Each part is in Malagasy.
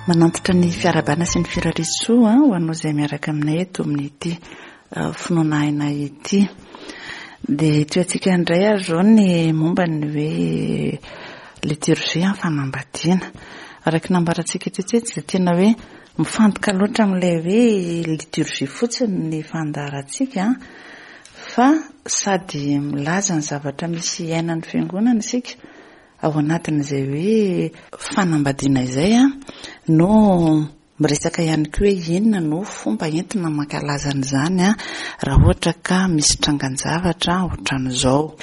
Manantitra ny fiarahabana sy ny firarisoa ho anao izay miaraka aminay eto amin'ity eh, finoana aina ity. Dia tohantsika indray ary izao ny momba ny hoe liturgie amin'ny fanambadiana. Araka ny nambarantsika tetsy tsy dia tena hoe mifantoka loatra amin'ilay hoe liturgie fotsiny ny fandaharantsika fa sady milaza ny zavatra misy iainan'ny fiangonana isika Ao anatin'izay hoe fanambadiana izay no miresaka ihany koa hoe inona no fomba entina mankalaza an'izany raha ohatra ka misy trangan-javatra ohatran'izao.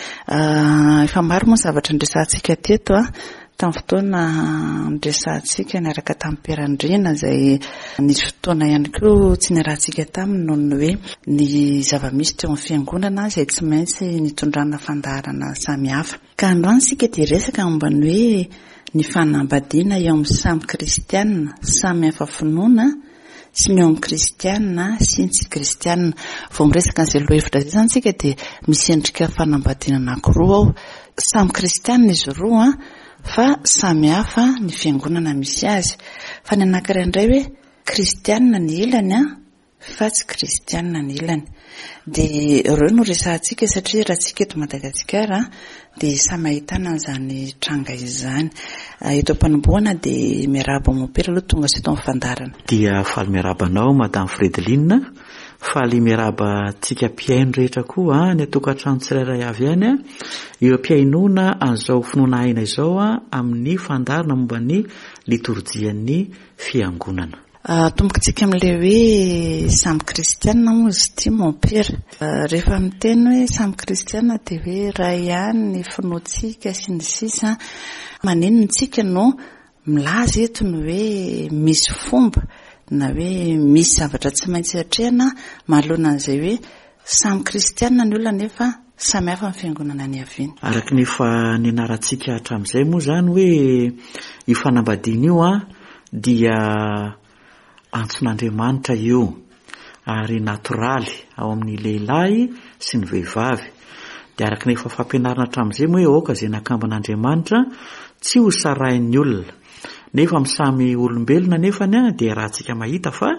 Efa maro moa ny zavatra niresahantsika teto tamin'ny fotoana niresahantsika niaraka tamin'i Père Andriana izay nisy fotoana ihany koa tsy niarahantsika taminy noho ny hoe ny zava-misy teo amin'ny fiangonana izay tsy maintsy nitondrana fandaharana samihafa. Ka androany isika dia hiresaka momba ny hoe ny fanambadiana eo amin'ny samy kristiana samy hafa finoana sy ny eo amin'ny kristiana sy ny tsy kristiana. Vao miresaka an'izay lohahevitra izay izany isika dia misy endrika fanambadiana anankiroa ao. Samy kristiana izy roa fa samy hafa ny fiangonana misy azy. Fa ny anankiray indray hoe kristiana ny ilany fa tsy kristianina ny ilany. Dia ireo no resahantsika satria raha tsika eto Madagasikara dia samy ahitana an'izany tranga izany. Eto am-panombohana dia miarahaba mompera aloha tonga sy eto amin'ny fandaharana. Dia faly miarahaba anao Madame Fredeline, faly miarahaba antsika mpihaino rehetra koa any an-tokantrano tsirairay avy any, eo am-pihainoana an'izao finoana aina izao amin'ny fandaharana momba ny litorjian'ny Fiangonana. Atombokintsika amin'ilay hoe samy kristiana moa izy ity mompera. Rehefa miteny hoe samy kristiana dia hoe iray ihany ny finoantsika sy ny sisa. Maninona isika no milaza eto ny hoe misy fomba na hoe misy zavatra tsy maintsy atrehina manoloana an'izay hoe samy kristiana ny olona nefa samy hafa ny fiangonana niaviany. Araka ny efa nianarantsika hatramin'izay moa izany hoe io fanambadiana io an, dia antson'Andriamanitra io ary natoraly ao amin'ny lehilahy sy ny vehivavy. Dia araka ny efa fampianarana hatramin'izay moa hoe aoka izay nakamban'Andriamanitra tsy ho sarahin'ny olona. Nefa amin'ny samy olombelona anefany dia iarahantsika mahita fa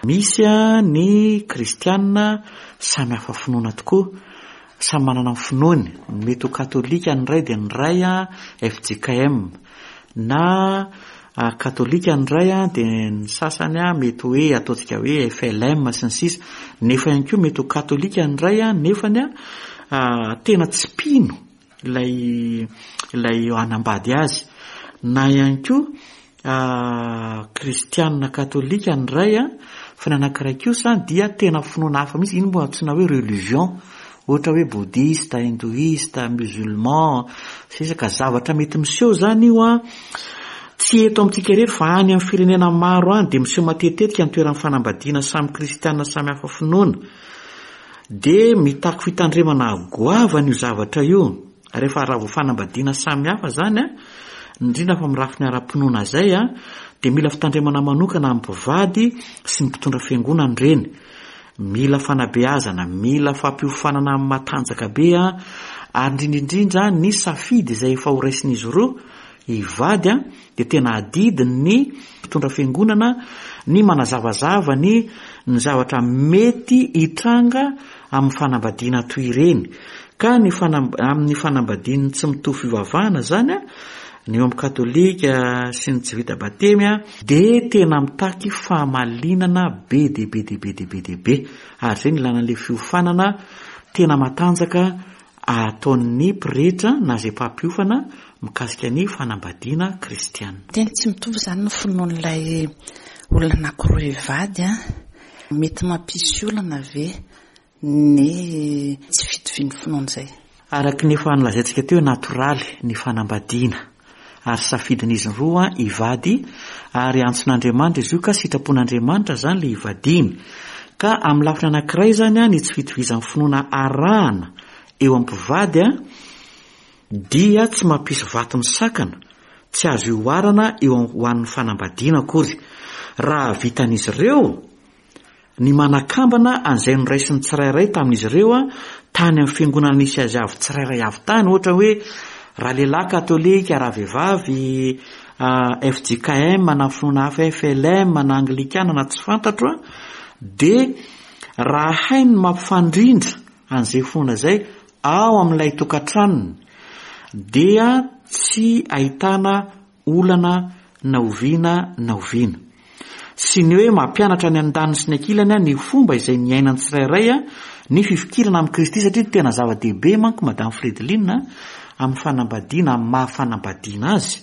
misy ny kristiana samy hafa finoana tokoa, samy manana ny finoany. Mety ho katolika ny iray dia ny iray fjkm. Na katolika ny iray dia ny sasany mety hoe ataontsika hoe FLM sy ny sisa nefa ihany koa mety ho katolika ny iray nefany tena tsy mpino ilay ilay hanambady azy na ihany koa kristianina katolika ny iray fa ny anankiray kosa dia tena finoana hafa mihitsy, iny moa antsoina hoe religion Ohatra hoe Bouddhiste, Hindouiste, Musulman, sisa ka zavatra mety miseho izany io an, tsy eto amintsika irery fa any amin'ny firenena maro any dia miseho matetitetika ny toeran'ny fanambadiana samy kristiana samy hafa finoana. Dia mitaky fitandremana goavana io zavatra io. Rehefa raha vao fanambadiana samy hafa izany an, indrindra fa amin'ny lafiny ara-pinoana izay an, dia mila fitandremana manokana amin'ny mpivady sy ny mpitondra fiangonana ireny. Mila fanabeazana, mila fampiofanana matanjaka be ary indrindra indrindra ny safidy izay efa ho raisin'izy ireo hivady dia tena adidin'ny mpitondra fiangonana ny manazavazava ny ny zavatra mety hitranga amin'ny fanambadiana toy ireny ka ny amin'ny fanambadian'ny tsy mitovy fivavahana izany ny eo amin'ny katolika sy ny tsy vita batemy dia tena mitaky fahamalinana be dia be dia be dia be dia be ary izay no ilana an'ilay fiofanana tena matanjaka ataon'ny pretra na izay mpampiofana mikasika ny fanambadiana kristiana. Tena tsy mitovy izany ny finoan'ilay olona anankiroa hivady an! Mety mampisy olana ve ny tsy fitovian'ny finoana izay. Araka ny efa nolazaintsika teo hoe natoraly ny fanambadiana ary safidin'izy roa hivady ary antson'Andriamanitra izy io ka sitrapon'Andriamanitra izany ilay hivadiany. Ka amin'ny lafiny anankiray izany ny tsy fitovizan'ny finoana arahana eo amin'ny mpivady dia tsy mampisy vato misakana, tsy azo ihoarana eo ho an'ny fanambadiana akory. Raha vitan'izy ireo ny manakambana an'izay noraisin'ny tsirairay tamin'izy ireo tany amin'ny fiangonana nisy azy avy tsirairay avy tany, ohatra hoe raha lehilahy katolika, raha vehivavy fjkm na finoana hafa FLM na anglikana na tsy fantatro an, dia raha hainy ny mampifandrindra an'izay finoana izay ao amin'ilay tokantranony dia tsy ahitana olana na oviana na oviana. Sy ny hoe mampianatra ny andaniny sy ny ankilany ny fomba izay niainan'ny tsirairay ny fifikirana amin'i Kristy satria tena zava-dehibe manko Madame Fredeline amin'ny fanambadiana amin'ny maha fanambadiana azy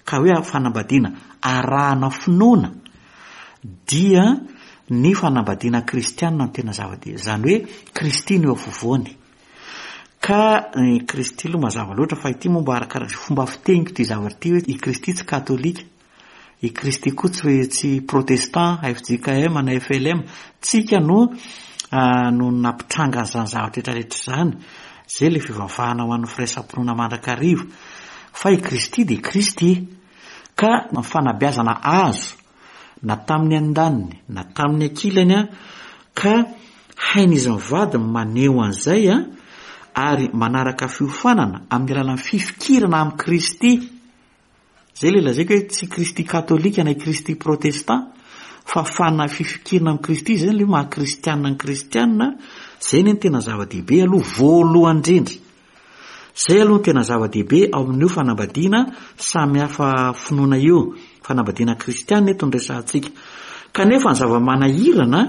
ka hoe fanambadiana arahana finoana dia ny fanambadiana kristianina no tena zava-dehibe izany hoe Kristy no eo afovoany. Ka i Kristy aloha mazava loatra fa ity moa mba arakaraka izay fomba fiteniko ity zavatra ity hoe i Kristy tsy katolika, i Kristy koa tsy hoe tsy protestant, fjkm na flm, tsika no no nampitranga an'izany zavatra rehetra rehetra izany, izay ilay fivavahana ho an'ny firaisam-pinoana mandrakariva, fa i Kristy dia Kristy, ka ny fanabeazana azo na tamin'ny andaniny na tamin'ny ankilany an, ka hain'izy mivady ny maneho an'izay an, ary manaraka fiofanana amin'ny alalan'ny fifikirana amin'i Kristy. Izay ilay lazaiko hoe tsy Kristy katolika na i Kristy protestant, fa fana fifikirana amin'i Kristy izay ilay maha kristianina ny kristianina, izay anie no tena zava-dehibe aloha voalohany indrindra. Izay aloha no tena zava-dehibe ao amin'io fanambadiana samy hafa finoana io, fanambadiana kristiana eto no resahantsika. Kanefa ny zava-manahirana,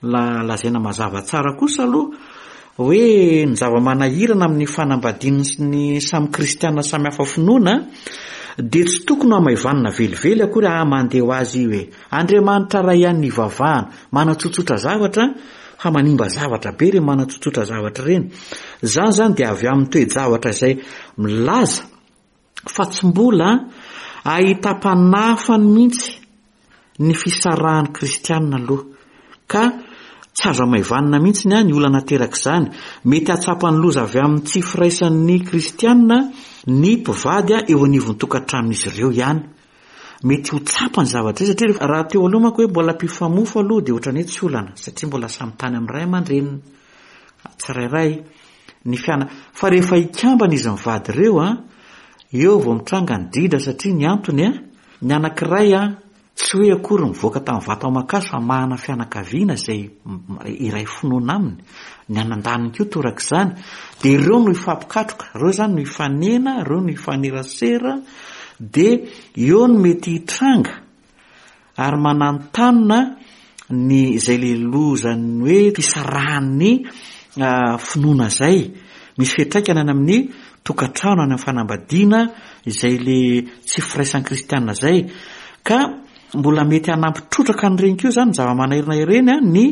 la lazaina mazava tsara kosa aloha, hoe ny zava-manahirana amin'ny fanambadian'ny samy kristiana samy hafa finoana dia tsy tokony ho hamaivanina velively akory, ah mandeha ho azy io e, Andriamanitra Ray ihany no ivavahana, manatsotsotra zavatra fa manimba zavatra be ireny manatsotsotra zavatra ireny. Izany izany dia avy amin'ny toe-javatra izay milaza fa tsy mbola ahitam-panahafany mihitsy ny fisarahan'ny kristianina aloha. Ka tsy azo hamaivanina mihitsy ny olana aterak'izany. Mety hahatsapa ny loza avy amin'ny tsy firaisan'ny kristianina ny mpivady eo anivon'ny tokantranon'izy ireo ihany. Mety ho tsapa ny zavatra izay satria raha teo aloha manko hoe mbola mpifamofo aloha dia ohatran'ny hoe tsy olana satria mbola samy tany amin'ny ray aman-dreniny tsirairay ny fiana fa rehefa hikambana izy mivady ireo an, eo vao mitranga ny dridra satria ny antony an, ny anankiray an, Tsy hoe akory nivoaka tamin'ny vato aman-kazo fa manana fianakaviana izay iray finoana aminy, ny anandaniny koa torak'izany, dia ireo no hifampikatroka, ireo izany no hifanena, ireo no hifanerasera, dia eo no mety hitranga ary mananontanona ny izay le lozan'ny hoe fisarahan'ny finoana izay, misy fiantraikany any amin'ny tokantrano, any amin'ny fanambadiana, izay le tsy firaisan'ny kristiana izay, ka mbola mety hanampy trotraka an'ireny koa izany ny zava-manahirana ireny an, ny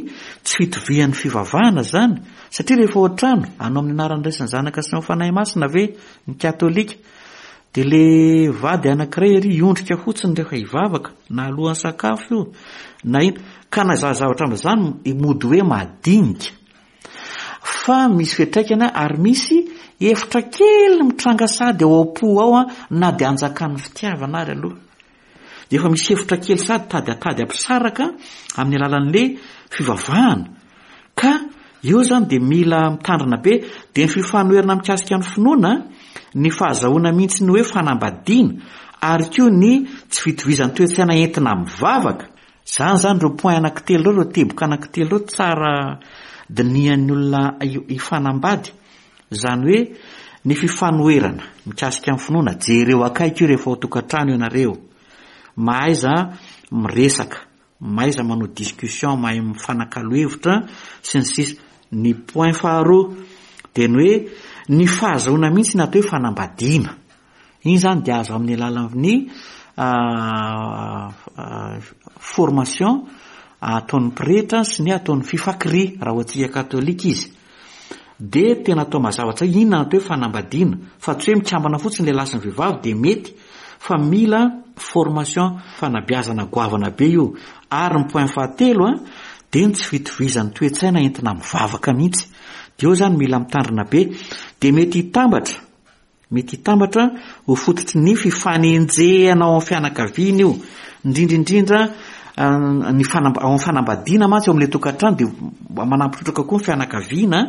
tsy fitovian'ny fivavahana izany, satria rehefa ao an-trano, anao amin'ny anaran'ny Ray sy ny Zanaka sy ny Fanahy Masina ve ny katolika, dia le vady anankiray ery hiondrika fotsiny rehefa hivavaka, na alohan'ny sakafo io, na inona, ka na izany zavatra amin'izany mody hoe madinika. Fa misy fiantraikany ary misy efitra kely mitranga sady ao am-po ao na dia anjakan'ny fitiavana ary aloha. Dia efa misy efitra kely sady tady atady hampisaraka amin'ny alalan'le fivavahana. Ka eo zany dia mila mitandrina be. Dia ny fifanoherana mikasika ny finoana, ny fahazahoana mihitsy ny hoe fanambadiana ary koa ny tsy fitovizan'ny toe-tsaina entina mivavaka. Zany zany ireo point anankitelo ireo, ireo teboka anankitelo ireo tsara dinihan'ny olona hifanambady. Izany hoe ny fifanoherana mikasika ny finoana, jereo akaiky io rehefa ao an-tokantrano ianareo. Mahaiza miresaka, mahaiza manao discussion, mahay mifanakalo hevitra sy ny sisa. Ny point faharoa dia ny hoe ny fahazahoana mihitsy ny atao hoe fanambadiana. Iny izany dia azo amin'ny alalan'ny formation ataon'ny pretra sy ny ataon'ny fifakri raha ho antsika katolika izy. Dia tena atao mazava tsara inona ny atao hoe fanambadiana fa tsy hoe mikambana fotsiny lehilahy sy ny vehivavy dia mety fa mila formation fanabeazana goavana be io. Ary ny point fahatelo dia ny tsy fitovizan'ny toe-tsaina entina mivavaka mihitsy. Dia eo izany mila mitandrina be. Dia mety hitambatra Mety hitambatra ho fototry ny fifanenjehana ao amin'ny fianakaviana io, indrindra indrindra ny fanamba- ao amin'ny fanambadiana mantsy ao amin'ilay tokantrano dia manampy trotraka koa ny fianakaviana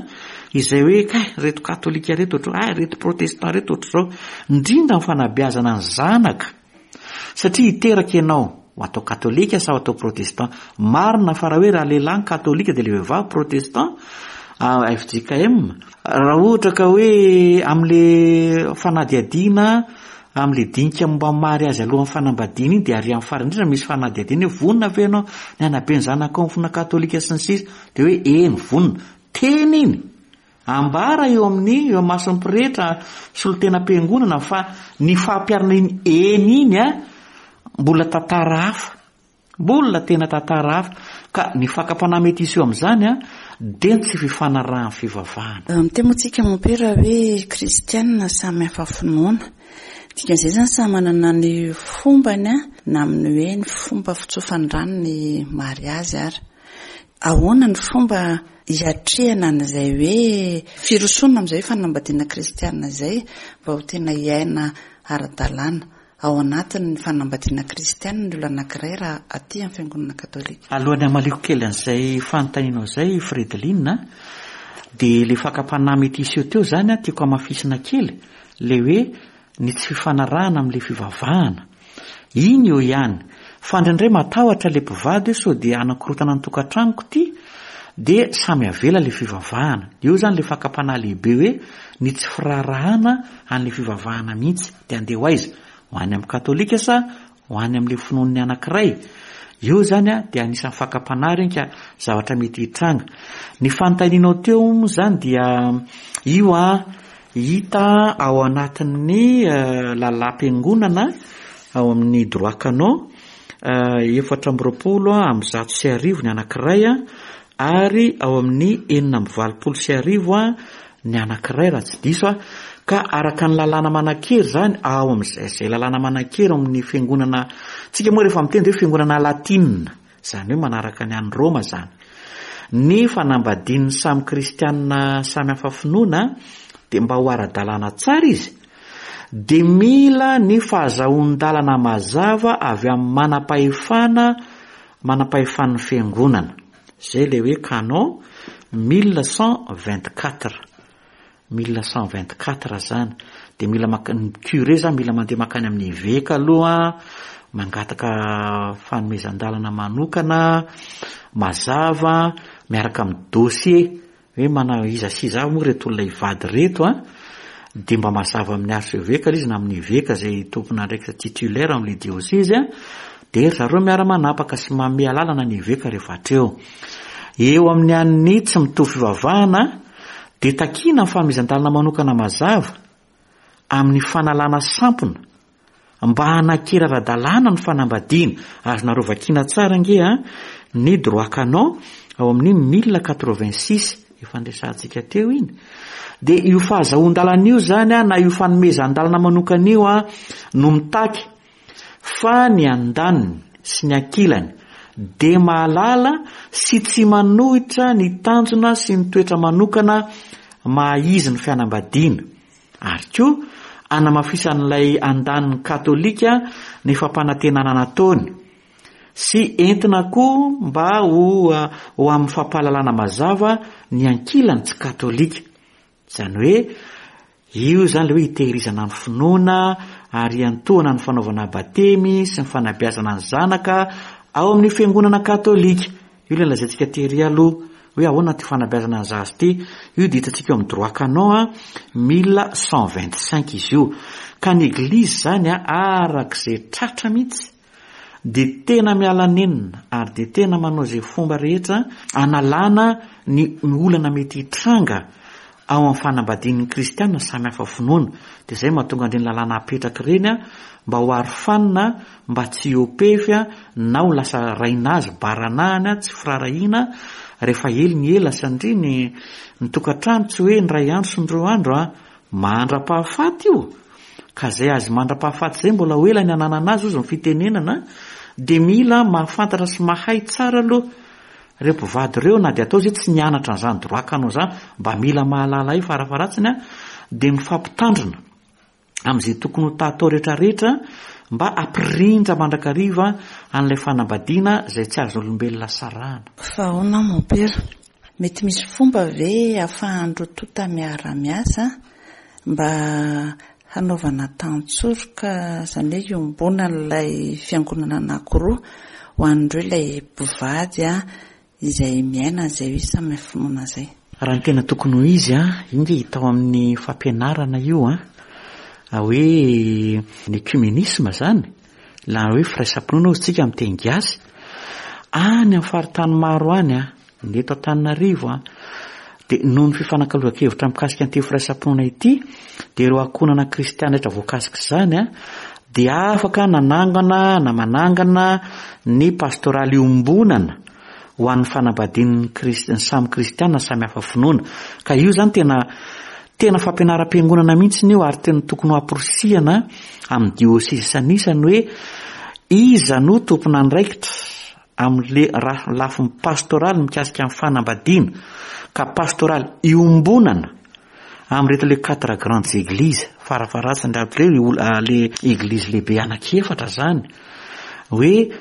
izay hoe kay ireto katolika ireto ohatr'izao, hay ireto protestant ireto ohatr'izao, indrindra ny fanabeazana ny zanaka. Satria hiteraka ianao, ho atao katolika sa ho atao protestant. Marina fa raha hoe raha lehilahy ny katolika dia ilay vehivavy protestant, fjkm. Raha ohatra ka hoe amin'ilay fanadihadiana, amin'ilay dinika momba ny mariazy alohan'ny fanambadiana iny dia ary amin'ny farany indrindra misy fanadihadiana hoe vonona ve ianao ny hanabe ny zanakao amin'ny finoana katolika sy ny sisa dia hoe eny vonona. Teny iny! Ambara eo amin'ny eo imason'ny pretra solontenam-piangonana fa ny fampiharana iny eny iny a mbola tantara hafa. Mbola tena tantara hafa. Ka ny fakam-panahy mety hiseho amin'izany a dia ny tsy fifanarahan'ny fivavahana. Miteny moa tsika mompera hoe kristianina samy hafa finoana. Dikan'izay izany samy manana ny fombany a, na amin'ny hoe ny fomba fitsofan-drano ny mariazy ary. Ahoana ny fomba hiatrehana an'izay hoe firosoana amin'izay hoe fanambadiana kristiana izay mba ho tena hiaina ara-dalàna ao anatin'ny fanambadiana kristiana ny olona anankiray raha aty amin'ny fiangonana katolika? Alohan'ny hamaliako kely an'izay fanontanianao izay Fredeline a, dia ilay fakam-panahy mety hiseho teo izany a, tiako hamafisina kely, ilay hoe ny tsy fifanarahana amin'ilay fivavahana. Iny eo ihany. Fa indraindray matahotra ilay mpivady hoe sao dia hanakorontana ny tokantranoko ity, dia samy avela ilay fivavahana. Eo izany ilay fakam-panahy lehibe hoe ny tsy firaharahana an'ilay fivavahana mihitsy. Dia handeha ho aiza? Ho any amin'ny katolika sa ho any amin'ilay finoan'ny anankiray? Eo izany dia anisan'ny fakam-panahy ireny ka zavatra mety hitranga. Ny fanontanianao teo moa izany dia io an, Hita ao anatin'ny lalàm-piangonana ao amin'ny droit canon 1124 ny anankiray ary ao amin'ny 1086 ny anankiray raha tsy diso aho. Ka araka ny lalàna manan-kery izany ao amin'izay izay lalàna manan-kery ao amin'ny fiangonana, tsika moa rehefa miteny dia hoe fiangonana latina. Izany hoe manaraka ny any Roma izany. Ny fanambadian'ny samy kristianina samy hafa finoana dia mba ho ara-dalàna tsara izy dia mila ny fahazahoan-dalana mazava avy amin'ny manam-pahefana manam-pahefan'ny fiangonana. Izay ilay hoe canon 1124. 1124 zany de mila maka ny curé zany mila mandeha makany amin'ny eveka aloha mangataka fanomezan-dalana manokana mazava miaraka amin'ny dossier hoe mana iza sy iza avy moa reto olona hivady reto a de mba mazava amin'ny archevêque ilay izy na amin'ny eveka izay tompon'andraikitra titulaire amin'ilay diocèse a de ry zareo miara-manapaka sy manome alalana ny eveka rehefa hatreo eo amin'ny an'ny tsy mitovy fivavahana dia takiana ny fanomezan-dalana manokana mazava amin'ny fanalana sampona mba hanakery ara-dalàna ny fanambadiana. Azonareo vakiana tsara ange a, ny droit canon ao amin'ny 1086 efa niresahantsika teo iny. Dia io fahazahoan-dalana io izany a, na io fanomezan-dalana manokana io a, no mitaky Fa ny andaniny sy ny ankilany dia mahalala sy tsy manohitra ny tanjona sy ny toetra manokana maha-izy ny fianambadiana, ary koa anamafisan'ilay andaniny katolika ny fampanantenana nataony, sy entina koa mba ho ho amin'ny fampahalalana mazava ny ankilany tsy katolika. Izany hoe io izany ilay hoe hitehirizana ny finoana ary hiantohana ny fanaovana batemy sy ny fanabeazana ny zanaka ao amin'ny fiangonana katolika. Io ilay lazaintsika tery aloha hoe ahoana ity fanabeazana ny zaza ity. Io dia hitantsika eo amin'ny droit canon 1125 izy io. Ka ny eglizy izany arak'izay tratra mihitsy dia tena miala nenina ary dia tena manao izay fomba rehetra hanalana ny olana mety hitranga ao amin'ny fanambadian'ny kristiana samy hafa finoana. Dia izay mahatonga an'ireny lalàna apetraka ireny mba ho arofanina mba tsy hiopefy na ho lasa rainazy baranahany tsy firaharahiana rehefa ela ny ela satria ny ny tokantrano tsy hoe ny iray andro sy ny roa andro an, mandra-pahafaty io. Ka zay azy mandra-pahafaty zay mbola ho ela ny ananana azy ozy ny fitenenana dia mila mahafantatra sy mahay tsara aloha reo mpivady reo na dia atao zay tsy nianatra an'izany droit canon zany mba mila mahalala io farafaharatsiny a dia mifampitandrina amin'izay tokony ho tatao rehetrarehetra mba hampirindra mandrakariva an'ilay fanambadiana izay tsy azon'olombelona sarahana. Fa ahoana mompera? Mety misy fomba ve ahafahan'ny roa tonta miara-miasa mba. hanaovana tantsoroka, izany hoe iombonan'ilay fiangonana anankiroa ho an'ireo ilay mpivady izay miaina an'izay hoe samy finoana izay. Raha ny tena tokony ho izy an, io nge hita ao amin'ny fampianarana io an, hoe ny œcuménisme izany, na hoe firaisam-pinoana hozy tsika amin'ny teny gasy, any amin'ny faritany maro any an, ny eto Antananarivo an, dia noho ny fifanakalozan-kevitra mikasika an'ity firaisam-pinoana ity, dia ireo ankohonana kristiana rehetra voakasik'izany an, dia afaka nanangana na manangana ny pastoraly iombonana ho an'ny fanambadian'ny ny samy kristiana samy hafa finoana. Ka io izany tena tena fampianaram-piangonana mihitsy io ary tena tokony ho amporisihana amin'ny diosesy isanisany hoe iza no tompon'andraikitra amin'le lafiny pastoraly mikasika ny fanambadiana ka pastoraly iombonana amin'ireto le quatre grandes églises farafaharatsiny raha le le église lehibe anankiefatra zany hoe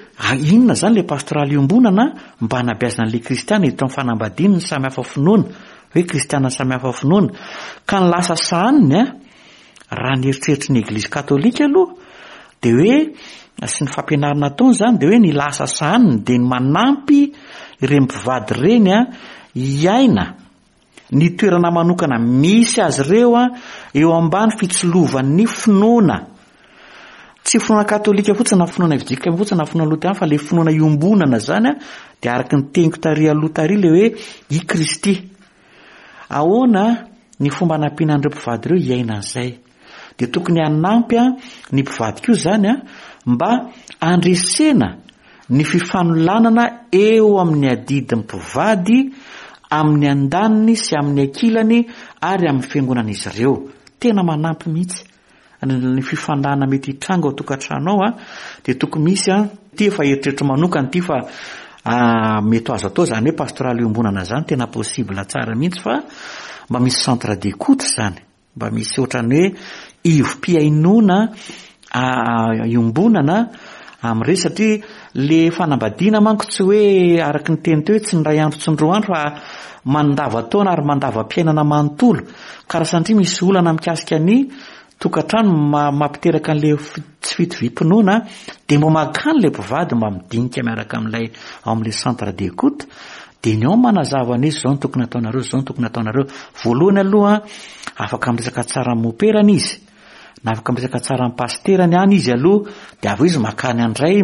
inona zany le pastoraly iombonana mba hanabeazana an'le kristiana eto amin'ny fanambadiana ny samy hafa finoana hoe kristiana samy hafa finoana ka ny lasa sahaniny a Raha ny eritreritry ny Eglizy Katolika aloha dia hoe sy ny fampianarana ataony izany dia hoe ny lasa sahaniny dia ny manampy ireny mpivady ireny hiaina ny toerana manokana misy azy ireo eo ambany fitsilovan'ny finoana. Tsy finoana katolika fotsiny na finoana evjkm fotsiny na finoana loterana fa ilay finoana iombonana izany dia araka ny teniko tary aloha tary ilay hoe i Kristy. Ahoana ny fomba hanampiana an'ireo mpivady ireo hiaina an'izay? Dia tokony hanampy ny mpivady koa izany mba handresena ny fifanolanana eo amin'ny adidin'ny mpivady amin'ny andaniny sy amin'ny ankilany ary amin'ny fiangonan'izy ireo. Tena manampy mihitsy. ny fifandrana mety hitranga ao tokantrano ao dia tokony misy an, ity efa eritreritro manokana ity fa mety ho azo atao izany hoe pastoraly iombonana izany tena possible tsara mihitsy fa mba misy centre d'écoute izany, mba misy ohatran'ny hoe ivom-pihainoana iombonana amin'ireny satria le fanambadiana manko tsy hoe araka ny teny teo hoe tsy ny iray andro tsy ny roa andro fa mandavan-taona ary mandavam-piainana manontolo ka raha sanatria misy olana mikasika ny tokantrano mampiteraka an'le tsy fitoviam-pinoana dia mba mankany le mpivady mba midinika miaraka amin'ilay ao amin'ilay centre d'écoute dia ny ao manazava an'izy izao no tokony ataonareo izao no tokony ataonareo voalohany aloha afaka miresaka tsara amin'ny moperany izy Na afaka miresaka tsara amin'ny pasiterany any izy aloha dia avy eo izy makany andray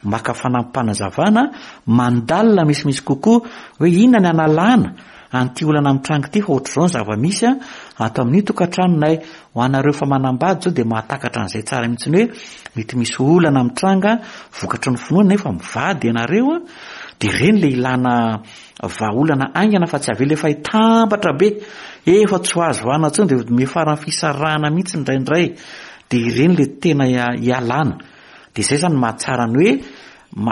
maka fanampim-panazavana, mandalina misimisy kokoa hoe inona ny analana an'ity olana mitranga ity fa ohatr'izao ny zava-misy ato amin'ny tokantranonay. Ho anareo efa manambady izao dia mahatakatra an'izay tsara mihitsy hoe mety misy olana mitranga vokatry ny finoana nefa mivady ianareo dia ireny ilay ilana Vahaolana haingana fa tsy avela efa hitambatra be, efa tsy ho azo vahana intsony dia miafara amin'ny fisarahana mihitsy indraindray, dia ireny ilay tena ialana. Dia izay izany no mahatsara ny hoe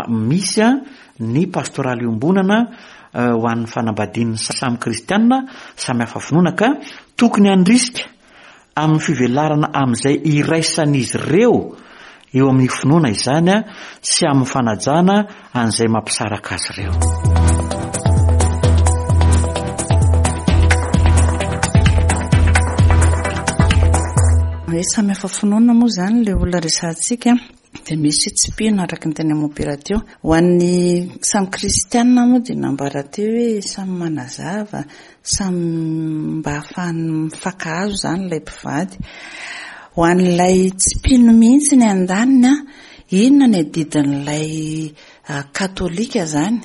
misy ny pastoraly iombonana ho an'ny fanambadian'ny samy kristiana, samy hafa finoana ka tokony handrisika amin'ny fivelarana amin'izay iraisan'izy ireo eo amin'ny finoana izany sy amin'ny fanajana an'izay mampisaraka azy ireo. Hoe samy hafa finoana moa izany ilay olona resahantsika. Dia misy tsy mpino araka ny teny Mompera teo. Ho an'ny samy kristianina moa dia nambara teo hoe samy manazava, samy mba ahafahany mifankahazo izany ilay mpivady. Ho an'ilay tsy mpino mihitsy ny andaniny an, inona ny adidin'ilay katolika izany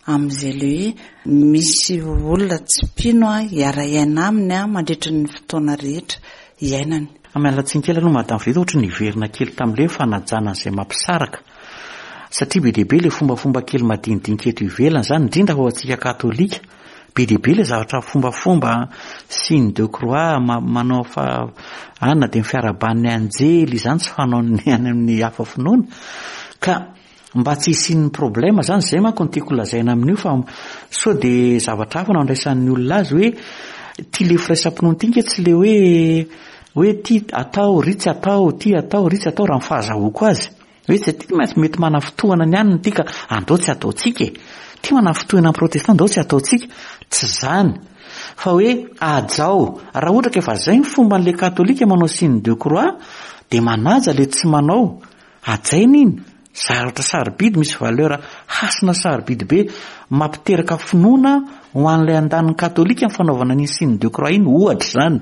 amin'izay ilay hoe misy olona tsy mpino hiara-hiaina aminy mandritra ny fotoana rehetra iainany. Miala tsiny kely aloha Madame Frida ohatry ny niverina kely tamin'ilay hoe fanajana an'izay mampisaraka satria be dia be ilay fombafomba kely madinidinika eto ivelany izany indrindra fa ho antsika katolika be dia be ilay zavatra fombafomba signe de croix manao fa anona dia ny fiarahaban'ny anjely izany tsy fanaon'ny any amin'ny hafa finoana ka Mba tsy hisian'ny problème zany, zay manko no tiako lazaina amin'io fa sao de zavatra hafa no andraisan'ny olona azy hoe ty le firaisam-pinoana ty nge tsy le hoe hoe ty atao ry tsy atao, ty atao ry tsy atao raha ny fahazahoako azy. Hoe tsy ty mantsy mety manafintohana ny anona ty ka andao tsy ataontsika e. Ty manafintohina ny protestant andao tsy ataontsika. Tsy zany. Fa hoe hajao, raha ohatra ka efa zay ny fomban'le katolika manao signe de croix dia manaja le tsy manao, hajaina iny, zavatra sarobidy misy valeur hasina sarobidy be mampiteraka finoana ho an'ilay andaniny katolika ny fanaovana an'iny signe de croix iny ohatra izany.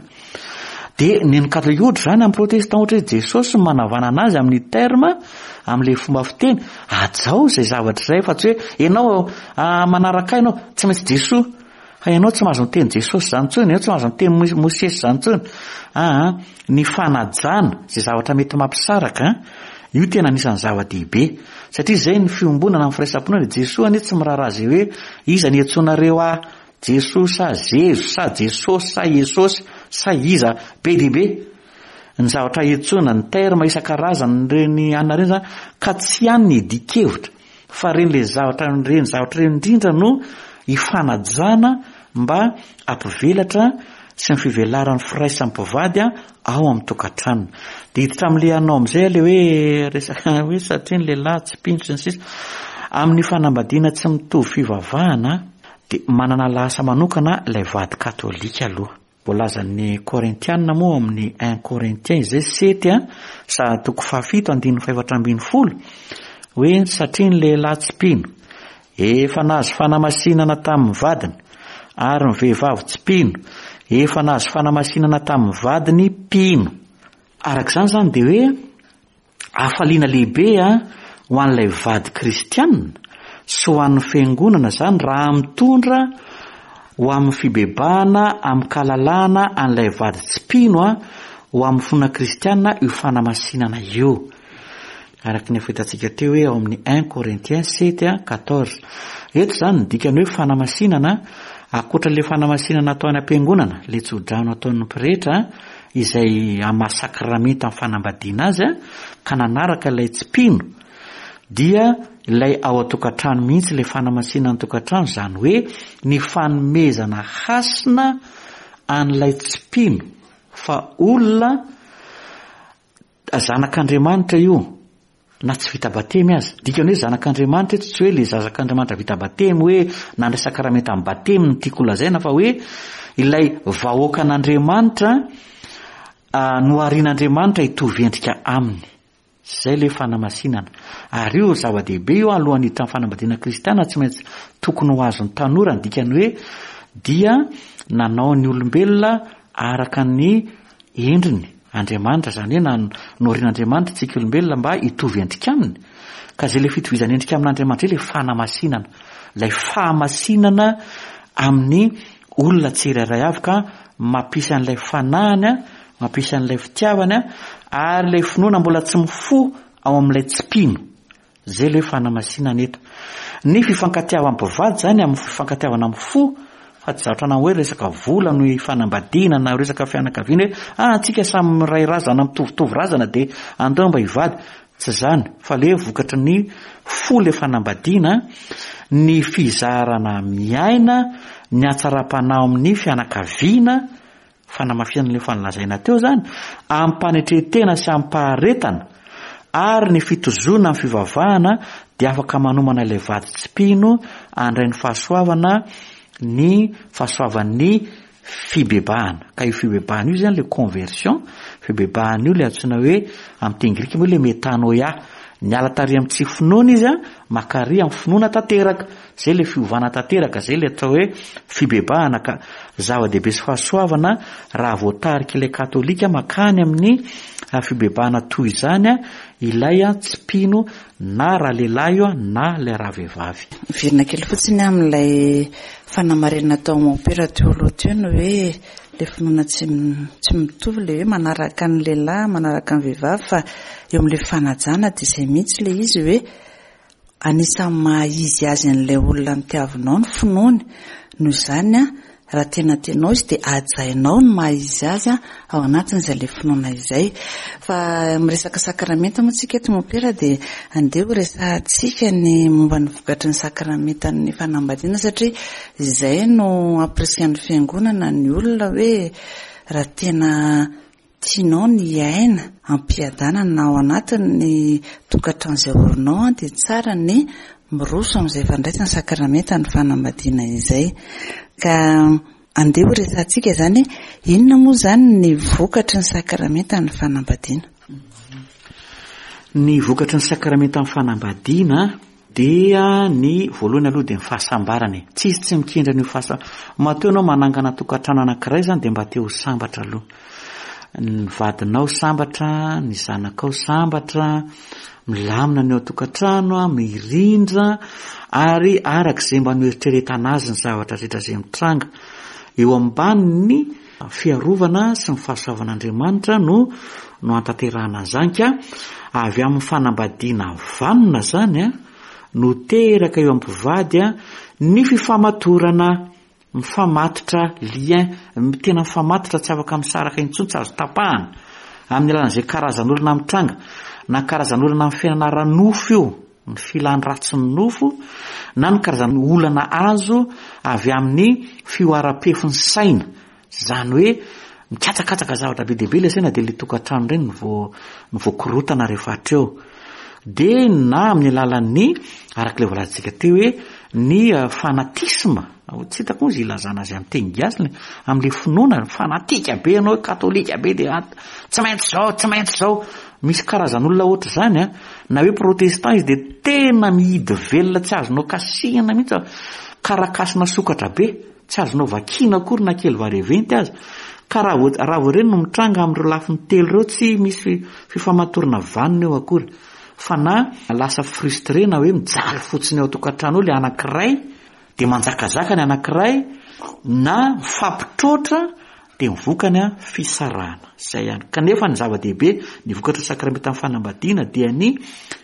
Dia ny an'ny katolika ohatra izany amin'ny protestant ohatra hoe Jesosy no manavanana azy amin'ny terme amin'ilay fomba fiteny, hajao izay zavatra izay fa tsy hoe ianao manaraka ahy ianao tsy maintsy Jesoa. Fa ianao tsy mahazo miteny Jesosy izany intsony, ianao tsy mahazo miteny Mosesy izany intsony. Aa, ny fanajana izay zavatra mety mampisaraka, io tena anisan'ny zava-dehibe. Satria izay ny fiombonana amin'ny firaisam-pinoana, Jesoa anie tsy miraharaha izay hoe iza ny iantsoanareo ahy, Jesoa sa Zezo sa Jesosy sa Iesosy sa iza, be dia be ny zavatra iantsoana, ny terme isan-karazany ireny anona ireny izany, ka tsy any ny idian-kevitra. Fa ireny le zavatra ireny zavatra ireny indrindra no ifanajana mba hampivelatra sy ny fivelaran'ny firaisan'ny mpivady ao amin'ny tokantrano. Dia hiditra amin'le anao amin'izay le hoe resaka hoe satria ny lehilahy tsy mpino sy ny sisa. Amin'ny fanambadiana tsy mitovy fivavahana dia manana lahasa manokana ilay vady katolika aloha. Voalazan'ny Korintiana moa ao amin'ny Un Corinthiens izay sety a, sa toko fahafito andininy fahefatra ambinifolo, hoe satria ny lehilahy tsy mpino efa nahazo fanamasinana tamin'ny vadiny, ary ny vehivavy tsy mpino efa nahazo fanamasinana tamin'ny vadiny mpino. Araka izany izany dia hoe Hafaliana lehibe ho an'ilay vady kristiana sy ho an'ny fiangonana izany raha mitondra ho amin'ny fibebahana amin-kalalahana an'ilay vady tsy mpino ho amin'ny finoana kristiana io fanamasinana io. Araka ny efa hitantsika teo hoe ao amin'ny un Corinthiens sept quatorze. Eto izany ny dikany hoe fanamasinana, ankoatra ilay fanamasinana atao any am-piangonana, ilay tsodrano ataon'ny pretra, izay hamaha sakramenta ny fanambadiana azy ka nanaraka ilay tsy mpino dia ilay ao an-tokantrano mihitsy ilay fanamasinana ny tokantrano izany hoe ny fanomezana hasina an'ilay tsy mpino fa olona zanak'Andriamanitra io na tsy vita batemy aza. Dikany hoe zanak'Andriamanitra eto tsy hoe le zazak'Andriamanitra vita batemy hoe nandray sakramentan'ny batemy no tiako holazaina fa hoe ilay vahoakan'Andriamanitra noharian'Andriamanitra hitovy endrika aminy. Izay le fanamasinana. Ary io zava-dehibe io alohan'ny hiditra amin'ny fanambadiana kristiana tsy maintsy tokony ho azon'ny tanora ny dikany hoe dia nanao ny olombelona araka ny endriny Andriamanitra, izany hoe na noharian'Andriamanitra isika olombelona mba hitovy endrika aminy, ka izay ilay fitovizana endrika amin'Andriamanitra izay ilay fanamasinana, ilay fahamasinana amin'ny olona tsirairay avy ka mampisy an'ilay fanahiny, mampisy an'ilay fitiavany ary ilay finoana mbola tsy mifoha ao amin'ilay tsy mpino. Zay le hoe fanamasinana eto. Ny fifankatiavan'ny mpivady zany amin'ny fifankatiavana amin'ny fo fa tsy zavatra na hoe resaka vola no ifanambadiana na resaka fianakaviana hoe ah antsika samy miray razana mitovitovy razana dia andao mba hivady. Tsy zany fa le vokatry ny fo le fanambadiana, ny fizarana miaina, ny hatsaram-panahy amin'ny fianakaviana, Fanamafisana ilay efa nolazaina teo izany, amim-panetren-tena sy amim-paharetana ary ny fitozoana amin'ny fivavahana dia afaka manomana ilay vady tsy mpino handray ny fahasoavana ny fahasoavan'ny fibebahana. Ka io fibebahana io izany ilay conversion, fibebahana io ilay antsoina hoe amin'ny teny grika moa ilay metanoia. Niala tary amin'ny tsy finoana izy, makary amin'ny finoana tanteraka. Zay ilay fiovana tanteraka, zay ilay atao hoe fibebahana ka zava-dehibe sy fahasoavana raha voatarik'ilay katolika makany amin'ny fibebahana toy izany ilay tsy mpino na ralehilahy io na ilay ravehivavy. Miverina kely fotsiny amin'ilay fanamarinana tao mompera teo aloha teo ny hoe ilay finoana tsy tsy mitovy ilay hoe manaraka ny lehilahy manaraka ny vehivavy fa eo amin'ilay fanajana dia izay mihitsy ilay izy hoe Anisan'ny maha izy azy an'ilay olona notiavinao ny finoany, noho izany raha tena tianao izy dia hajainao ny maha izy azy ao anatin'izay ilay finoana izay. Fa miresaka sakramenta moa tsika eto Mompera dia andeha ho resahantsika ny momba ny vokatry ny sakramentan'ny fanambadiana satria izay no ampirisihan'ny fiangonana ny olona hoe raha tena Tianao ny hiaina am-piadanana ao anatin'ny tokantrano izay orinao dia tsara ny miroso amin'izay fandraisana sakramentan'ny fanambadiana izay. Ka. Andeha ho resahantsika izany hoe inona moa izany ny vokatry ny sakramentan'ny fanambadiana? Ny vokatry ny sakramentan'ny fanambadiana dia ny voalohany aloha dia ny fahasambarana e. Tsisy tsy mikendry an'io fahasa-, matoa ianao manangana tokantrano anankiray izany dia mba te ho sambatra aloha. Ny vadinao sambatra, ny zanakao sambatra, milamina ny ao an-tokantrano, mirindra ary araka izay mba noeritreretana azy ny zavatra rehetra izay mitranga. Eo ambanin'ny fiarovana sy ny fahasoavan'Andriamanitra no no antanterahana an'izany ka avy amin'ny fanambadiana vanona izany no teraka eo amin'ny mpivady ny fifamatorana. Mifamatotra, lien, tena mifamatotra tsy afaka misaraka intsony, tsy azo tapahana, amin'ny alalan'izay karazan'olana mitranga, na karazan'olana amin'ny fiainana ara-nofo io, ny filan'ny ratsin'ny nofo, na ny karazan'olana azo avy amin'ny fihoaram-pefin'ny saina, izany hoe mikatsakatsaka zavatra be dia be ilay saina dia ilay tokantrano ireny no voa no voakorotana rehefa hatreo. Dia na amin'ny alalan'ny, araka ilay voalazantsika teo hoe ny fanatisme, tsy hitako moa izay ilazana azy amin'ny teny gasy, amin'ilay finoana, fanatika be ianao, katolika be dia tsy maintsy izao, tsy maintsy izao. Misy karazan'olona ohatr'izany an, na hoe protestant izy dia tena mihidy velona tsy azonao kasihina mihitsy, karakasina sokatra be. Tsy azonao vakiana akory na kely vareventy aza. Ka raha vao raha vao ireny no mitranga amin'ireo lafiny telo ireo tsy misy fifamatorana vanona eo akory. Fa na lasa frustré na hoe mijaly fotsiny ao an-tokantrano ao ilay anankiray dia manjakazaka ny anankiray na mifampitroatra dia ny vokany an fisarahana. Izay ihany. Kanefa ny zava-dehibe, ny vokatry ny sakramentan'ny fanambadiana dia ny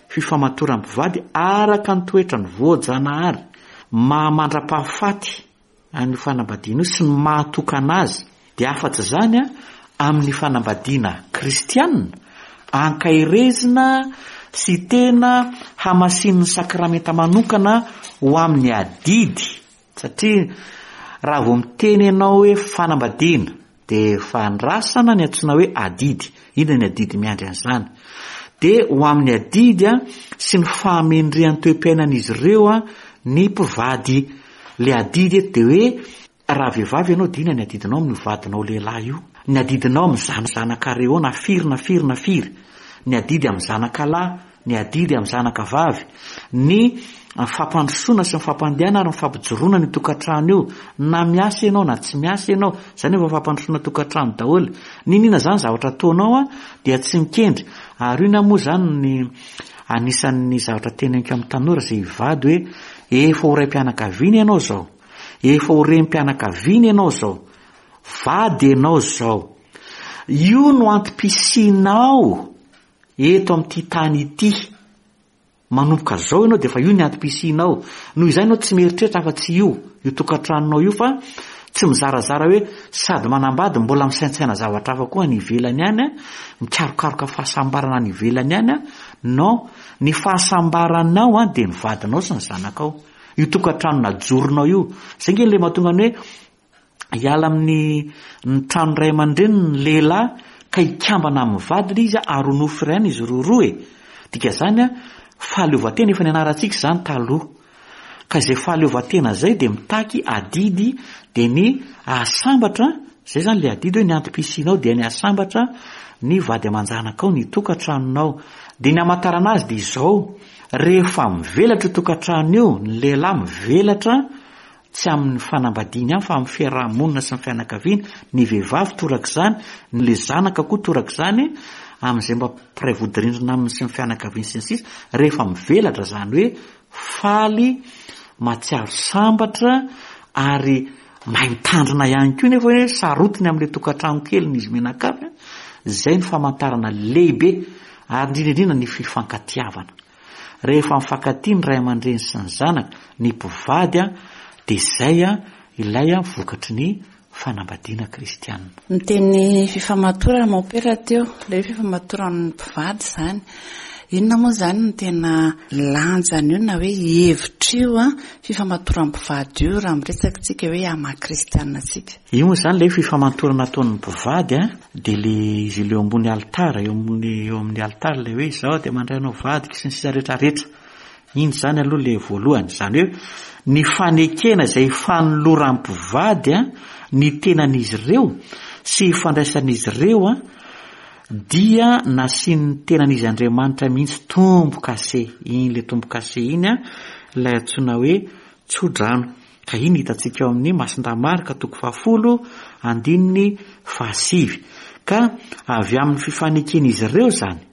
fifamatoran'ny mpivady araka ny toetrany voajanahary. Maha mandra-pahafaty an'io fanambadiana io sy ny maha tokana azy dia afa-tsy izany amin'ny fanambadiana kristiana ankaherezina sy tena hamasinin'ny sakramenta manokana ho amin'ny adidy Satria raha vao miteny ianao hoe fanambadiana dia efa andrasana ny antsoina hoe adidy. Inona ny adidy miandry an'izany? Dia ho amin'ny adidy sy ny fahamendrehan'ny toe-piainan'izy ireo ny mpivady. Ilay adidy eto dia hoe raha vehivavy ianao dia inona ny adidinao amin'io vadinao lehilahy io? Ny adidinao amin'ny zanakareo na firy na firy na firy? Ny adidy amin'ny zanakalahy? ny adidy amin'ny zanaka vavy, ny fampandrosoana sy ny fampandehana ary ny fampijoroana an'io tokantrano io, na miasa ianao na tsy miasa ianao, izany efa fampandrosoana tokantrano daholo. N'inon'inona izany zavatra ataonao an, dia tsy mikendry. Ary io na moa izany ny anisan'ny zavatra teneniko amin'ny tanora izay hivady hoe efa ho raim-pianakaviana ianao izao, efa ho renim-pianakaviana ianao izao, vady ianao izao. Io no antom-pisianao. Eto amin'ity tany ity. Manomboka izao ianao dia efa io ny antom-pisianao. Noho izany ianao tsy mieritreritra afa-tsy io, io tokantranonao io fa tsy mizarazara hoe sady manambady mbola misaintsaina zavatra hafa koa any ivelany any, mikarokaroka fahasambarana any ivelany any. Non, ny fahasambaranao dia ny vadinao sy ny zanakao. Io tokantrano najoronao io. Izay ange ilay mahatonga ny hoe hiala amin'ny ny trano ray aman-dreniny ny lehilahy ka hikambana amin'ny vadiny izy ary ho nofo iray ihany izy roroa e. Dika izany a, fahaleovantena efa nianarantsika izany taloha. Ka izay fahaleovantena izay dia mitaky adidy dia ny hahasambatra, izay izany ilay adidy hoe ny antom-pisianao dia ny hahasambatra ny vady aman-janakao, ny tokantranonao. Dia ny hamantarana azy dia izao, rehefa mivelatra io tokantrano io, ny lehilahy mivelatra, Tsy amin'ny fanambadiany ihany fa amin'ny fiaraha-monina sy ny fianakaviana, ny vehivavy torak'izany, ny le zanaka koa torak'izany, amin'izay mba mpiray vodirindrina aminy sy ny fianakaviany sy ny sisa, rehefa mivelatra izany hoe faly, mahatsiaro sambatra ary mahay mitandrina ihany koa nefa hoe sarotiny amin'ilay tokantrano keliny izy mianakavy, izay ny famantarana lehibe ary indrindra indrindra ny fifankatiavana. Rehefa mifankatia ny ray aman-dreny sy ny zanaka, ny mpivady, dia izay ilay vokatry ny fanambadiana kristiana. Niteny fifamatorana mompera teo, ilay hoe fifamatoran'ny mpivady izany. Inona moa izany no tena lanjan'io na hoe hevitr'io fifamatoran'ny mpivady io raha miresaka isika hoe amin'ny maha kristiana antsika? Io moa izany ilay hoe fifamatorana ataon'ny mpivady Dia le izy ileo ambony alitara, eo amin'ny eo amin'ny alitara ilay hoe izaho dia mandray anao vadiko sy ny sisa rehetra rehetra. Iny izany aloha le voalohany. Izany hoe ny fanekena izay fanoloran'ny mpivady an, Ny tenan'izy ireo sy ifandraisan'izy ireo dia nasian'ny tenan'izy Andriamanitra mihitsy tombo-kase. Iny ilay tombo-kase iny ilay antsoina hoe tsodrano. Ka iny hitantsika ao amin'ny Masindahy Marka toko fahafolo andininy fahasivy. Ka avy amin'ny fifaneken'izy ireo izany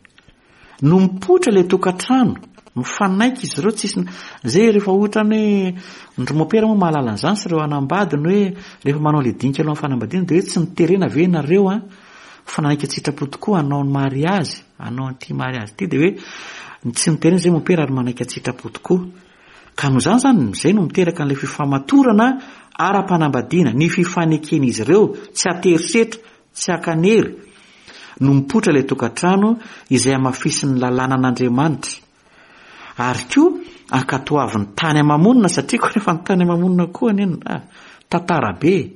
no mipoitra ilay tokantrano, mifanaiky izy ireo, tsisy, zay rehefa ohatrany hoe, ny ry mopera moa mahalala an'izany sy ireo hanambady ny hoe rehefa manao ilay dinika alohan'ny fanambadiana dia hoe tsy niterena ve ianareo an, fa nanaiky an-tsitrapo tokoa hanao ny mariazy, hanao an'ity mariazy ity dia hoe tsy niterena izay mopera ary manaiky an-tsitrapo tokoa. Ka noho izany izany, izay no miteraka an'ilay fifamatorana ara-panambadiana, ny fifaneken'izy ireo, tsy an-terisetra, tsy ankanery, no mipoitra ilay tokantrano izay hamafisin'ny lalànan'Andriamanitra. Ary koa ankatoavin'ny tany ama-monina, satria koa rehefa ny tany ama-monina koa anie no, ah, tantara be e!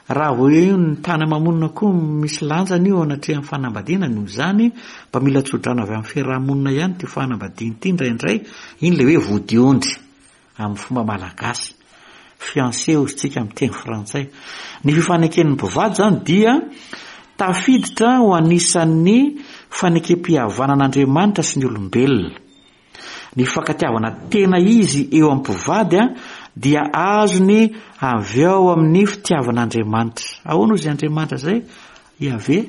Raha vao eo ny tany ama-monina koa misy lanjany io eo anatrehan'ny fanambadiana, noho izany mba mila tsodrano avy amin'ny fiaraha-monina ihany ity fanambadiana ity indraindray, iny ilay hoe vodiondry amin'ny fomba malagasy, fiancé hozy tsika amin'ny teny frantsay. Ny fifaneken'ny mpivady izany dia tafiditra ho anisan'ny fanekem-pihavanan'Andriamanitra sy ny olombelona. Ny fifankatiavana tena izy eo amin'ny mpivady dia azony avy ao amin'ny fitiavan'Andriamanitra. Ahoana hoy izay Andriamanitra izay? Iaveh,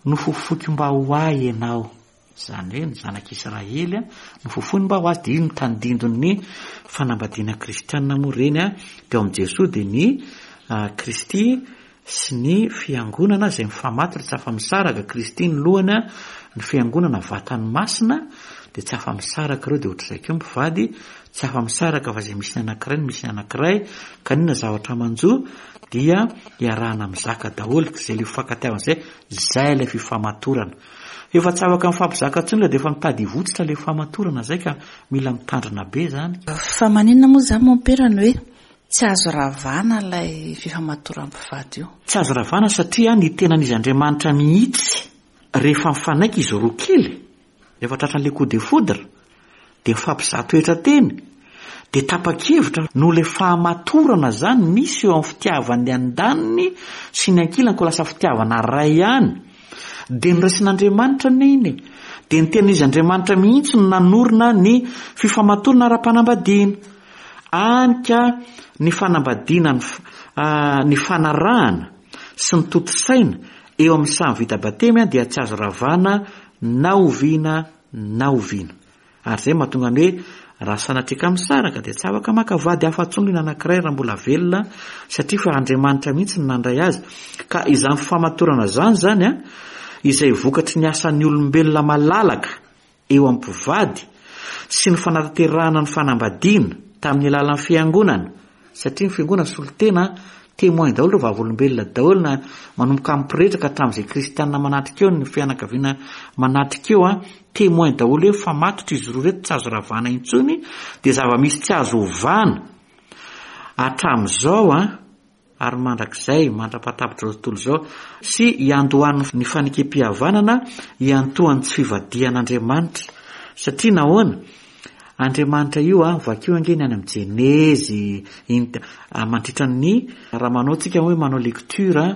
nofofoiko mba ho ahy ianao. Izany hoe ny zanak'Israely nofofoiny mba ho azy, dia io no tandindon'ny fanambadiana kristiana moa ireny. Dia ao amin'i Jesoa dia ny Kristy sy ny Fiangonana izay mifamatotra tsy afa-misaraka, Kristy ny lohany, ny Fiangonana vatany masina, dia tsy afa-misaraka ireo, dia ohatr'izay koa ny mpivady, tsy afa-misaraka fa izay misy ny anankiray no misy ny anankiray, ka n'inona zavatra manjo dia iarahana mizaka daholo, izay ilay fifankatiavana izay, izay ilay fifamatorana. Efa tsy afaka mifampizaka intsony ilay dia efa mitady hivotsitra ilay famatorana izay ka mila mitandrina be izany. Fa maninona moa izany mompera no hoe Tsy azo ravana ilay fifamatoram-pivady io. Tsy azo ravana satria ny tenan'izy Andriamanitra mihitsy rehefa mifanaiky izy roa kely, rehefa tratran'ilay coup de foudre, dia mifampizaha toetra teny, dia tapa-kevitra noho ilay fahamatorana izany misy eo amin'ny fitiavan'ny andaniny sy ny ankilany koa lasa fitiavana ray ihany, dia noraisin'Andriamanitra anie iny e! Dia ny tenan'izy Andriamanitra mihitsy no nanorina ny fifamatorana ara-panambadiana. Any ka ny fanambadiana ny ny fanarahana sy ny tontosaina eo amin'ny samy vita batemy dia tsy azo ravana na oviana na oviana. Ary izay mahatonga ny hoe raha sanatria ka misaraka dia tsy afaka maka vady hafa intsony ny anankiray raha mbola velona satria fa Andriamanitra mihitsy no nandray azy. Ka izany fifamatorana izany izany izay vokatry ny asan'ny olombelona malalaka eo amin'ny mpivady sy ny fanatanterahana ny fanambadiana tamin'ny alalan'ny fiangonana, satria ny fiangonana solontena, témoin daholo ireo vavolombelona daholo na manomboka amin'ny pretra ka hatramin'izay kristianina manatrika eo, ny fianakaviana manatrika eo, témoin daholo hoe mifamatotra izy roa ireto tsy azo ravana intsony, dia zava-misy tsy azo ovana hatramin'izao an. ary mandrakizay, mandra-pahatapitr'izao tontolo izao, sy hiandohan'ny ny fanekem-pihavanana hiantohan'ny tsy fivadihan'Andriamanitra. Satria nahoana? Andriamanitra io an, vakio ange ny any amin'ny Jenezy, iny mandritra ny, raha manao tsika hoe manao lecture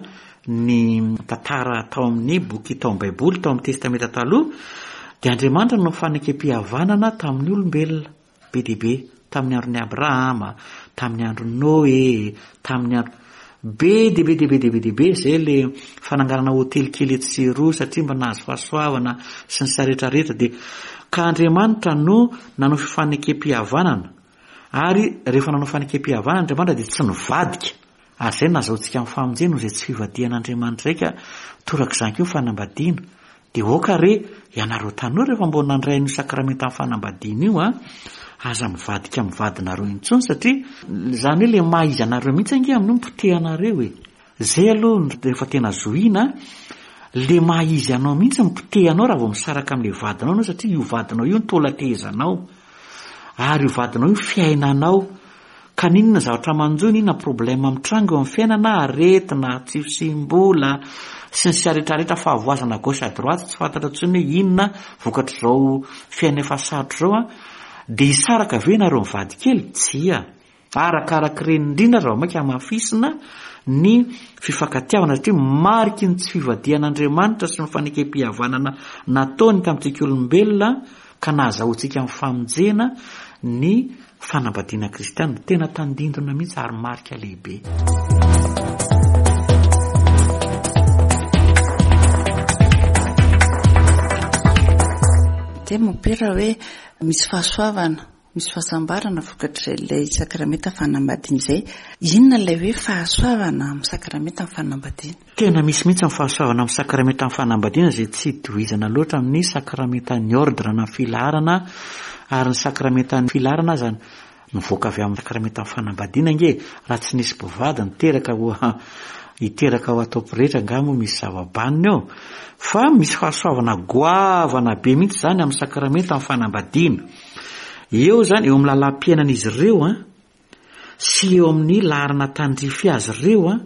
ny tantara tao amin'ny boky tao amin'ny Baiboly, tao amin'ny Testamenta Taloha, dia Andriamanitra no fanekem-pihavanana tamin'ny olombelona. Be dia be, tamin'ny andron'i Abrahama, tamin'ny andron'i Noe, tamin'ny andro. Be dia be dia be dia be dia be izay le fananganana hotely kely etsy sy eroa satria mba nahazo fahasoavana sy ny sa rehetra rehetra dia ka Andriamanitra no nanao fifanekem-pihavanana ary rehefa nanao fanekem-pihavanana Andriamanitra dia tsy nivadika ary izay no nahazahoantsika ny famonjena noho izay tsy fivadihan'Andriamanitra izay ka torak'izany koa ny fanambadiana Dia aoka re ianareo tanora efa mbola nandray an'io sakramentan'ny fanambadiana io an, aza mivadika amin'ny vadinareo intsony satria izany hoe ilay maha izy anareo mihitsy ange amin'io no potehanareo e. Izay aloha no rehefa tena zohiana, ilay maha izy anao mihitsy no potehanao raha vao misaraka amin'ilay vadinao ianao satria io vadinao io no taolan-tehezanao ary io vadinao io fiainanao. Ka n'inona zavatra manjo, n'inona problème mitranga eo amin'ny fiainana, aretina, tsy fisiam-bola, sy ny sisa rehetra rehetra, fahavoazana à gauche à droite, tsy fantatra intsony hoe inona vokatr'izao fiainana efa sarotra izao an, dia hisaraka ve ianareo mivady kely? Tsia. Arakarak'ireny indrindra raha vao mainka hamafisina ny fifankatiavana satria mariky ny tsy fivadihan'Andriamanitra sy ny fanekem-pihavanana nataony tamintsika olombelona ka nahazahoantsika ny famonjena ny fanambadiana kristiana. Tena tandindona mihitsy ary marika lehibe. Dia mompera hoe misy fahasoavana Misy fahasambarana vokatr'izay ilay sakramenta fanambadiana izay. Inona ilay hoe fahasoavana amin'ny sakramentan'ny fanambadiana? Tena misy mihitsy ny fahasoavana amin'ny sakramentan'ny fanambadiana izay tsy itohizana loatra amin'ny sakramentan'ny ordre na filaharana ary ny sakramentan'ny filaharana aza nivoaka avy amin'ny sakramentan'ny fanambadiana ange e! Raha tsy nisy mpivady niteraka ho hiteraka ho atao pretra angaha moa misy zava-banona eo? Fa misy fahasoavana goavana be mihitsy izany amin'ny sakramentan'ny fanambadiana. Eo izany, eo amin'ny lalam-piainan'izy ireo an, sy eo amin'ny laharana tandrify azy ireo an,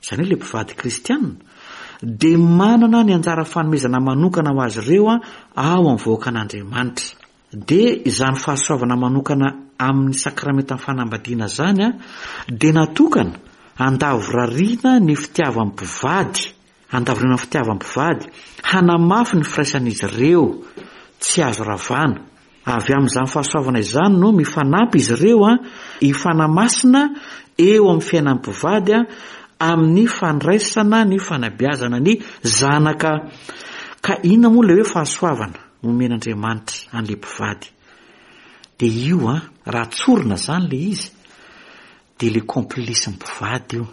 izany hoe ilay mpivady kristiana, dia manana ny anjara fanomezana manokana ho azy ireo an, ao amin'ny vahoakan'Andriamanitra. Dia izany fahasoavana manokana amin'ny sakramentan'ny fanambadiana izany an, dia natokana handavorariana ny fitiavan'ny mpivady Handavoriana ny fitiavam-pivady, hanamafy ny firaisan'izy ireo, tsy azo ravana. Avy amin'izany fahasoavana izany no mifanampy izy ireo hifanamasina eo amin'ny fiainan'ny mpivady amin'ny fandraisana ny fanabeazana ny zanaka. Ka inona moa ilay hoe fahasoavana omen'Andriamanitra an'ilay mpivady? Dia io an, raha tsorina izany ilay izy, dia ilay complice mpivady io.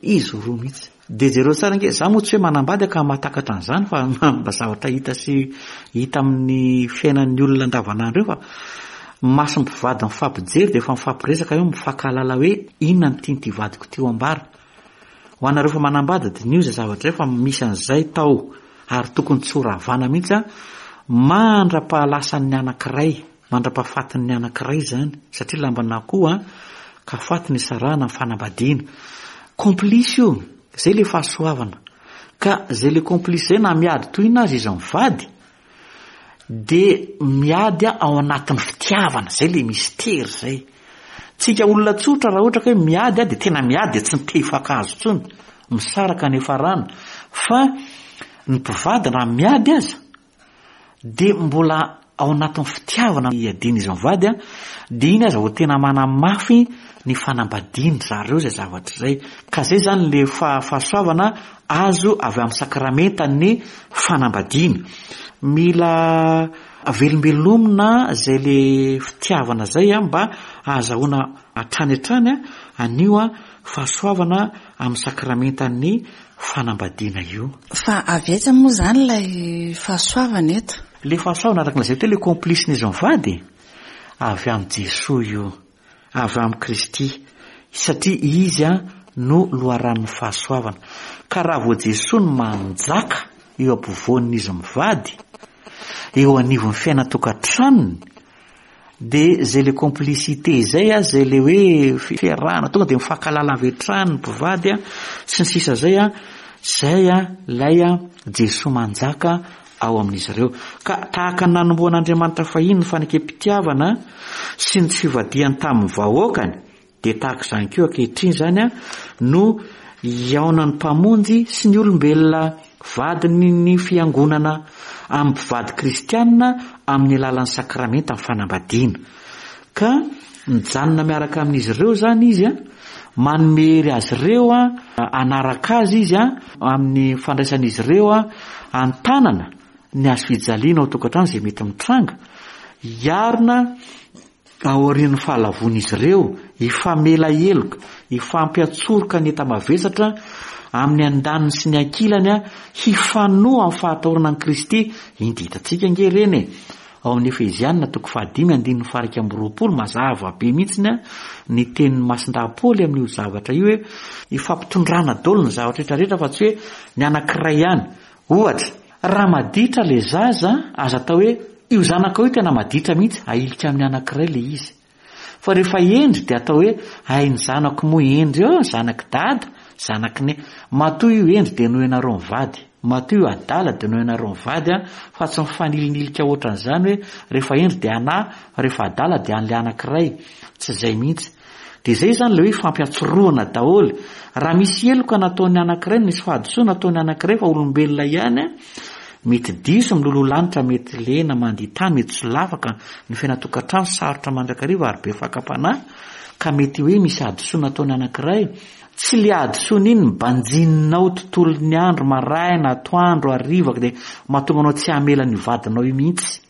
Izy roa mihitsy. Dia jereo tsara ange, za moa tsy hoe manambady aho ka mahatakatra an'izany fa mba zavatra hita sy hita amin'ny fiainan'ny olona andavanandro eo fa mason'ny mpivady mifampijery dia efa mifampiresaka eo mifankahalala hoe inona no tian'ity vadiko ity ho ambara. Ho anareo efa manambady diniho izay zavatra izay fa misy an'izay tao ary tokony tsy ho ravana mihitsy an mandra-pahalasan'ny anankiray. Mandra-pahafatin'ny anankiray izany, satria lamban'akoho an, ka faty nisarahana ny fanambadiana. Complice io, izay ilay fahasoavana. Ka izay ilay complice izay na miady toy inona aza izy mivady, dia miady ao anatin'ny fitiavana, izay ilay mistery izay. Tsika olona tsotra raha ohatra ka hoe miady dia tena miady dia tsy te hifankahazo intsony, misaraka ny hiafarana. Fa ny mpivady raha miady aza, dia mbola ao anatin'ny fitiavana iadian'izy mivady an, dia iny aza vao tena manamafy ny fanambadian-dry zareo izay zavatra izay. Ka izay izany ilay fahasoavana azo avy amin'ny sakramentan'ny fanambadiana. Mila velombelomina izay ilay fitiavana izay an, mba hahazahoana hatrany hatrany an'io fahasoavana amin'ny sakramentan'ny fanambadiana io. Fa avy aiza moa izany ilay fahasoavana eto? Ilay fahasoavana araka ny lazaiko teo, ilay complice-n'izy mivady, avy amin'i Jesoa io, avy amin'i Kristy, satria Izy no loharanon'ny fahasoavana. Ka raha vao Jesoa no manjaka eo ampovoan'izy mivady, eo anivon'ny fiainan-tokantranony, Dia izay le complicité izay a, izay le hoe fiarahana tonga dia mifankahalala avy hatrany ny mpivady a, sy ny sisa izay a, izay a ilay a Jesoa manjaka ao amin'izy ireo. Ka tahaka ny nanombohan'Andriamanitra fahiny ny fanekem-pitiavana sy ny tsy fivadihany tamin'ny vahoakany, Dia tahaka izany koa ankehitriny izany no hihaonan'ny Mpamonjy sy ny olombelona vadiny ny Fiangonana amin'ny mpivady kristiana amin'ny alalan'ny sakramentan'ny fanambadiana. Ka mijanona miaraka amin'izy ireo izany Izy, manome hery azy ireo hanaraka Azy Izy amin'ny fandraisan'izy ireo an-tanana ny hazofijaliana ao an-tokantrano izay mety mitranga, hiarina Aorian'ny fahalavoan'izy ireo, hifamela heloka, hifampiantsoroka ny enta-mavesatra amin'ny andaniny sy ny ankilany, hifanoa amin'ny fahatahorana an'i Kristy, inty hitantsika ange ireny e! Ao amin'ny Efeziana toko fahadimy andininy faha-21, mazava be mihitsy ny tenin'i Masindahy Paoly amin'io zavatra io hoe, hifampitondrana daholo ny zavatra rehetra rehetra fa tsy hoe ny anankiray ihany. Ohatra, raha maditra ilay zaza, aza atao hoe, io zanakao io tena maditra mihitsy, ahilika amin'ny anankiray ilay izy. Fa rehefa hendry dia atao hoe, hay ny zanako moa hendry eo, zanak'i dada, zanak'i neny. Matoa io hendry dia noho ianareo mivady. Matoa io adala dia noho ianareo mivady an, fa tsy mifanilingilika ohatran'izany hoe rehefa hendry dia anà, fa rehefa adala dia an'ilay anankiray. Tsy izay mihitsy. Dia izay izany ilay hoe ifampiantsorohana daholo. Raha misy heloka nataon'ny anankiray, misy fahadisoana nataon'ny anankiray fa olombelona ihany, mety diso, miloloha lanitra, mety lena, mandia tany, mety solafaka, ny fiainan-tokantrano sarotra mandrakariva ary be fakam-panahy, ka mety hoe misy hadisoana ataon'ny anankiray, tsy le hadisoana iny no banjininao tontolon'ny andro, maraina, atoandro, hariva, dia mahatonga anao tsy hamela an'io vadinao io mihitsy.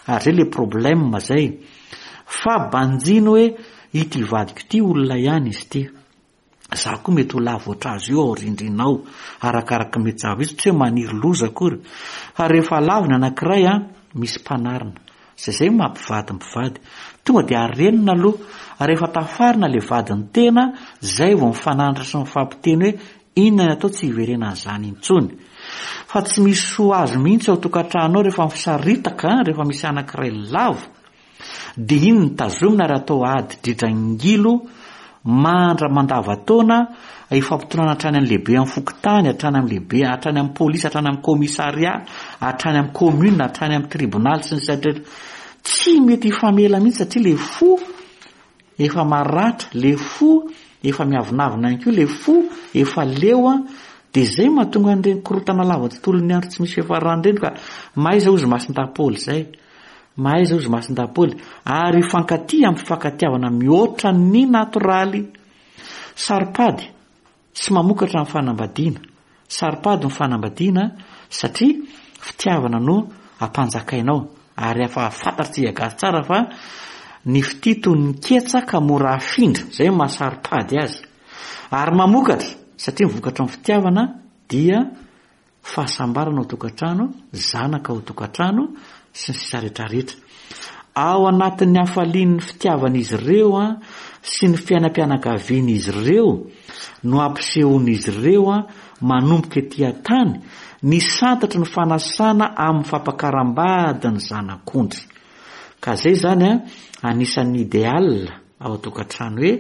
Ary zay le problème zay. Fa banjino hoe ity vadiko ity olona ihany izy ity. Za koa mety ho lavo ohatr'azy io ao rindrina ao. Arakaraka mety zava-misy, tsy hoe maniry loza akory. Fa rehefa lavo ny anankiray an, misy mpanarina. Zay zay mampivady mpivady. Tonga dia arenina aloha. Rehefa tafarina le vadin'ny tena, zay vao mifananatra sy mifampiteny hoe Inona ny atao tsy hiverenan'izany intsony. Fa tsy misy soa azo mihitsy ao tokantrano ao rehefa misaritaka, rehefa misy anankiray lavo, dia iny no tazomina ary atao ady dridrangilo mandra mandava-taona hifampitondrana hatrany amin'ny lehibe amin'ny fokontany, hatrany amin'ny lehibe, hatrany amin'ny polisy, hatrany amin'ny commissariat, hatrany amin'ny commune, hatrany amin'ny tribonaly sy ny sisa rehetra. Tsy mety hifamela mihitsy satria ilay fo Efa maratra le fo, efa miavonavona ihany koa le fo, efa leo an, de zay mahatonga an'ireny korontana lava tontolon'ny andro tsy misy fiafarany ireny ka mahaiza hozy Masindahy Paoly zay, mahaiza hozy Masindahy Paoly, ary hifankatia amin'ny fifankatiavana mihoatra ny natoraly. Saropady. Tsy mamokatra ny fanambadiana. Saropady ny fanambadiana satria fitiavana no ampanjakainao. Ary efa fantatr'tsika gasy tsara fa ny fitia toy ny ketsa ka mora afindra. Izay no maha saropady azy. Ary mamokatra satria ny vokatry ny fitiavana dia fahasambarana ao tokantrano, zanaka ao tokantrano, sy ny sisa rehetra rehetra. Ao anatin'ny hafalian'ny fitiavan'izy ireo sy ny fiainam-pianakavian'izy ireo no ampisehoan'izy ireo manomboka ety an-tany ny santatry ny fanasana amin'ny fampakaram-bady ny zanak'ondry. Ka izay izany anisan'ny idéal ao an-tokantrano hoe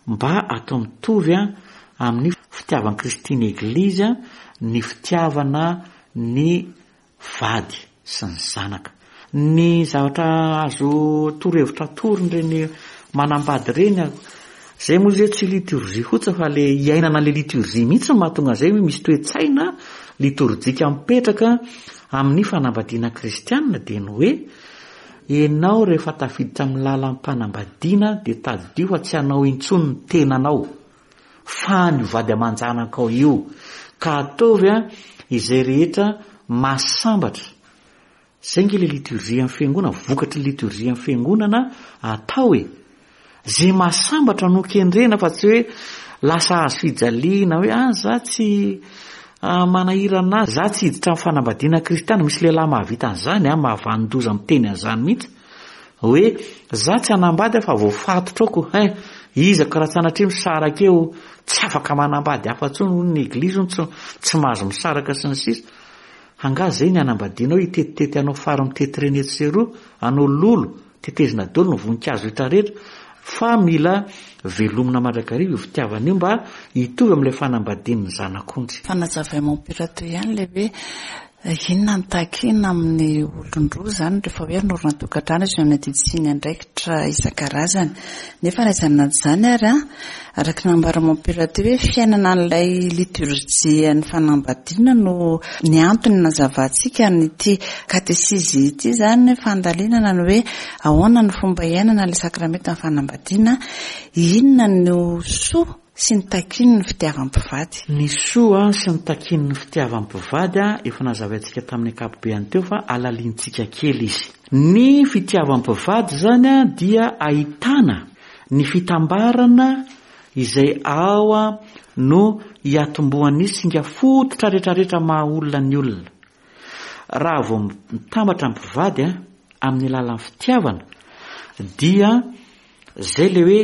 mba atao mitovy amin'ny fitiavan'i Kristy ny Eglizy ny fitiavana ny vady sy ny zanaka. Ny zavatra azo torohevitra atoron'ireny manambady ireny, izay moa izy hoe tsy liturgie fotsiny fa le iainana an'ilay liturgie mihitsy no mahatonga an'izay hoe misy toe-tsaina litorjika mipetraka amin'ny fanambadiana kristiana dia ny hoe Ianao rehefa tafiditra amin'ny lalam-panambadiana dia tadidio fa tsy anao intsony ny tenanao fa an'io vady aman-janakao io ka ataovy izay rehetra mahasambatra. Izay ange ilay liturgie amin'ny fiangonana, vokatry ny liturgie amin'ny fiangonana atao e. Ze mahasambatra no kendrena fa tsy hoe lasa hazo fijaliana hoe ah za tsy manahirana ahy, za tsy hiditra amin'ny fanambadiana kristiana, misy lehilahy mahavita an'izany an, mahavanon-doza miteny an'izany mihitsy hoe za tsy hanambady aho fa voafatotra ao ko hein, iza ko raha sanatria misaraka eo tsy afaka manambady hafa intsony hono ny eglizy hono tsy tsy mahazo misaraka sy ny sisa, angaha zay ny hanambadianao hitetitety hanao fary mitety reny etsy sy eroa, hanao lolo, Tetezina daholo ny voninkazo rehetra rehetra fa mila velomina mandrakariva io fitiavana io mba hitovy amin'ilay fanambadian'ny zanak'ondry. Fanazavain'i Mompera teo ihany ilay hoe inona no takiana amin'ny olon-droa izany rehefa hoe hanorina tokantrano izy amin'ny adidy sy ny andraikitra isan-karazany. Nefa na izany na izany ary, araka ny nambaran'i Mompera teo hoe fiainana an'ilay litorjian'ny fanambadiana no ny antony nazavantsika an'ity katesizy ity izany, fandalinana ny hoe ahoana ny fomba iainana ilay sakramentan'ny fanambadiana, inona no soa sy ny takian'ny fitiavam-pivady. Ny soa sy ny takian'ny fitiavam-pivady efa nazavaintsika tamin'ny ankapobeany teo fa alalintsika kely izy. Ny fitiavam-pivady izany dia ahitana Ny fitambarana izay ao no hiatombohan'ny singa fototra rehetrarehetra maha olona ny olona. Raha vao mitambatra ny mpivady amin'ny alalan'ny fitiavana dia zay le hoe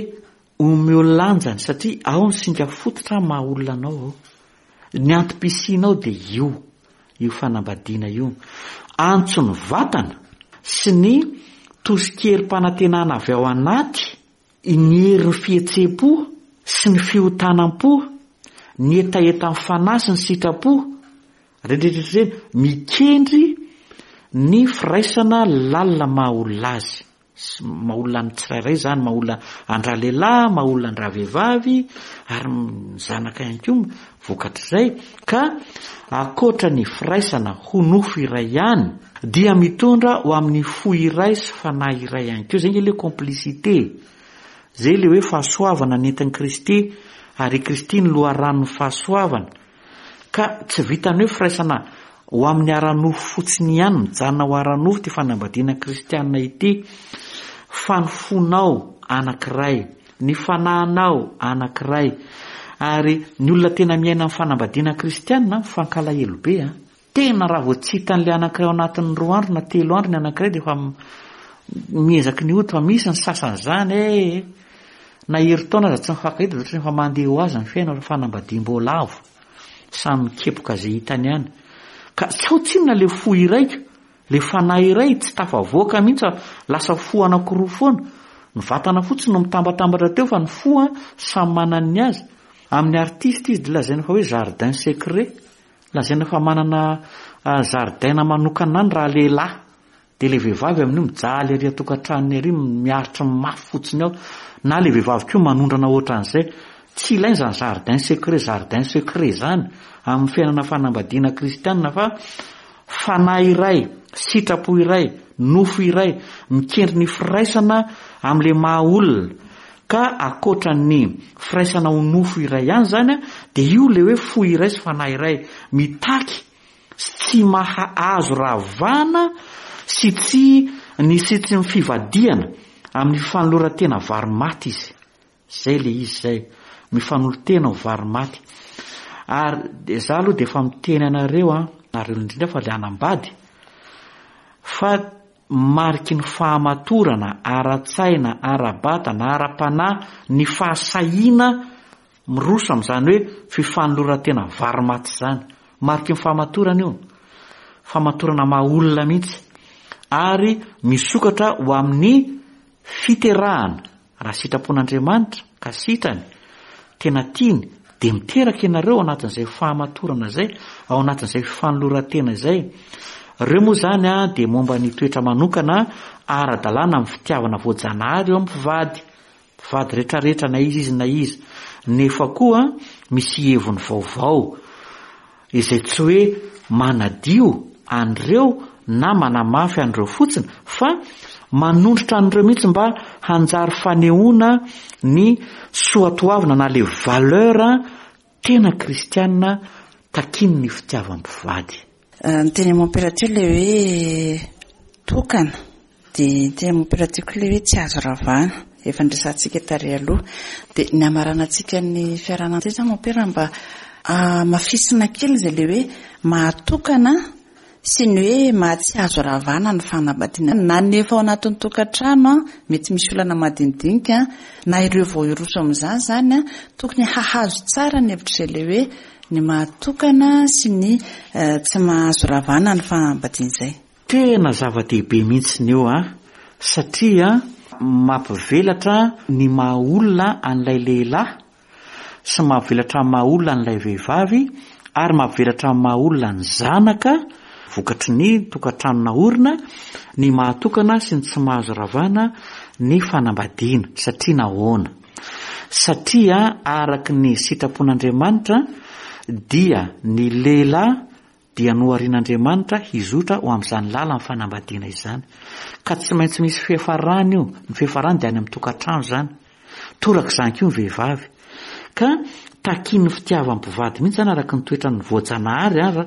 omeo lanjany satria ao ny singa fototra maha olona anao ao. Ny antom-pisianao dia io, io fanambadiana io. Antson'ny vatana sy ny tosikerim-panantenana avy ao anaty, ny herin'ny fihetseham-po sy ny fihotanam-po, ny hetahetan'ny fanahy sy ny sitrapo, ireny rehetra ireny, mikendry ny firaisana lalina maha olona azy. Sy maha olona ny tsirairay izany, maha olona an-dralehilahy, maha olona an-dravehivavy, ary ny zanaka ihany koa vokatr'izay. Ka ankoatra ny firaisana ho nofo iray ihany, dia mitondra ho amin'ny fo iray sy fanahy iray ihany koa. Izay ange ilay complicité. Izay ilay hoe fahasoavana nentin'i Kristy, ary i Kristy no loharanon'ny fahasoavana. Ka tsy vitan'ny hoe firaisana ho amin'ny ara-nofo fotsiny ihany, mijanona ho ara-nofo ity fanambadiana kristiana ity, fa ny fonao anankiray, ny fanahinao anankiray. Ary ny olona tena miaina amin'ny fanambadiana kristiana mifankalahelo be an. Tena raha vao tsy hitan'ilay anankiray ao anatin'ny roa andro na telo andro ny anankiray dia efa miezaky ny hody fa misy ny sasany izany e. Na herintaona aza tsy mifankahita dia ohatran'ny efa mandeha ho azy ny fiainana fa fanambadiam-boalavo. Samy mikepoka izay hitany any. Ka sao tsinona ilay fo iraiko, ilay fanahy iray tsy tafavoaka mihitsy fa lasa fo anankiroa foana. Ny vatana fotsiny no mitambatambatra teo fa ny fo samy manana ny azy. Amin'ny artiste izy dia lazaina fa hoe jardin secret. Lazaina fa manana zaridaina manokana any raha lehilahy. Dia ilay vehivavy amin'io mijaly ery an-tokantranony ery, miaritra ny mafy fotsiny ao. Na ilay vehivavy koa manondrana ohatran'izay. Tsy ilaina izany jardin secret, jardin secret izany amin'ny fiainana fanambadiana kristiana fa fanahy iray, sitrapo iray, nofo iray, mikendry ny firaisana amin'ilay maha olona. Ka ankoatra ny firaisana ho nofo iray ihany izany dia io ilay hoe fo iray sy fanahy iray mitaky sy tsy maha azo ravana sy tsy ny sy tsy ny fivadihana amin'ny fanoloran-tena vary maty izy. Izay ilay izy izay. Mifanolo-tena ho vary maty. Ary dia za aloha dia efa miteny anareo an, nareo indrindra fa ilay hanambady, fa mariky ny fahamatorana ara-tsaina, ara-batana, ara-panahy ny fahasahiana miroso amin'izany hoe fifanoloran-tena vary maty izany. Mariky ny fahamatorana io. Fahamatorana maha olona mihitsy. Ary misokatra ho amin'ny fiterahana. Raha sitrapon'Andriamanitra ka sitrany, tena tiany, dia miteraka ianareo ao anatin'izay fahamatorana izay, ao anatin'izay fifanoloran-tena izay. Ireo moa izany dia momba ny toetra manokana ara-dalàna amin'ny fitiavana voajanahary eo amin'ny mpivady, mpivady rehetrarehetra na iza izy na iza. Nefa koa misy heviny vaovao. izay tsy hoe manadio an'ireo na manamafy an'ireo fotsiny fa manondrotra an'ireo mihitsy mba hanjary fanehoana ny soatoavina na le valeur tena kristiana takian'ny fitiavam-pivady. Ny teny mompera teo ilay hoe tokana. Dia ny tena mompera tiako ilay hoe tsy azo ravana, efa niresahantsika tary aloha. Dia ny hamaranantsika ny fiarahana amin'izay izany mompera mba hamafisina kely izay ilay hoe mahatokana sy ny hoe maha tsy azo ravana ny fanambadiana. Na ny efa ao anatin'ny tokantrano mety misy olana madinidinika na ireo vao hiroso amin'izany izany tokony hahazo tsara ny hevitr'izay ilay hoe ny mahatokana sy ny tsy mahazo ravana ny fanambadiana izay. Tena zava-dehibe mihitsiny io an! Satria mampivelatra ny maha olona an'ilay lehilahy sy mampivelatra ny maha olona an'ilay vehivavy ary mampivelatra ny maha olona ny zanaka vokatry ny tokantrano naorina ny maha tokana sy ny tsy mahazo ravana ny fanambadiana. Satria nahoana? Satria araka ny sitrapon'Andriamanitra dia ny lehilahy dia noharian'Andriamanitra hizotra ho amin'izany lalan'ny fanambadiana izany. Ka tsy maintsy misy fiafarany io, ny fiafarany dia any amin'ny tokantrano izany. Toraka izany koa ny vehivavy. Ka takian'ny fitiavan'ny mpivady mihitsy izany araka ny toetran'ny voajanahary ara,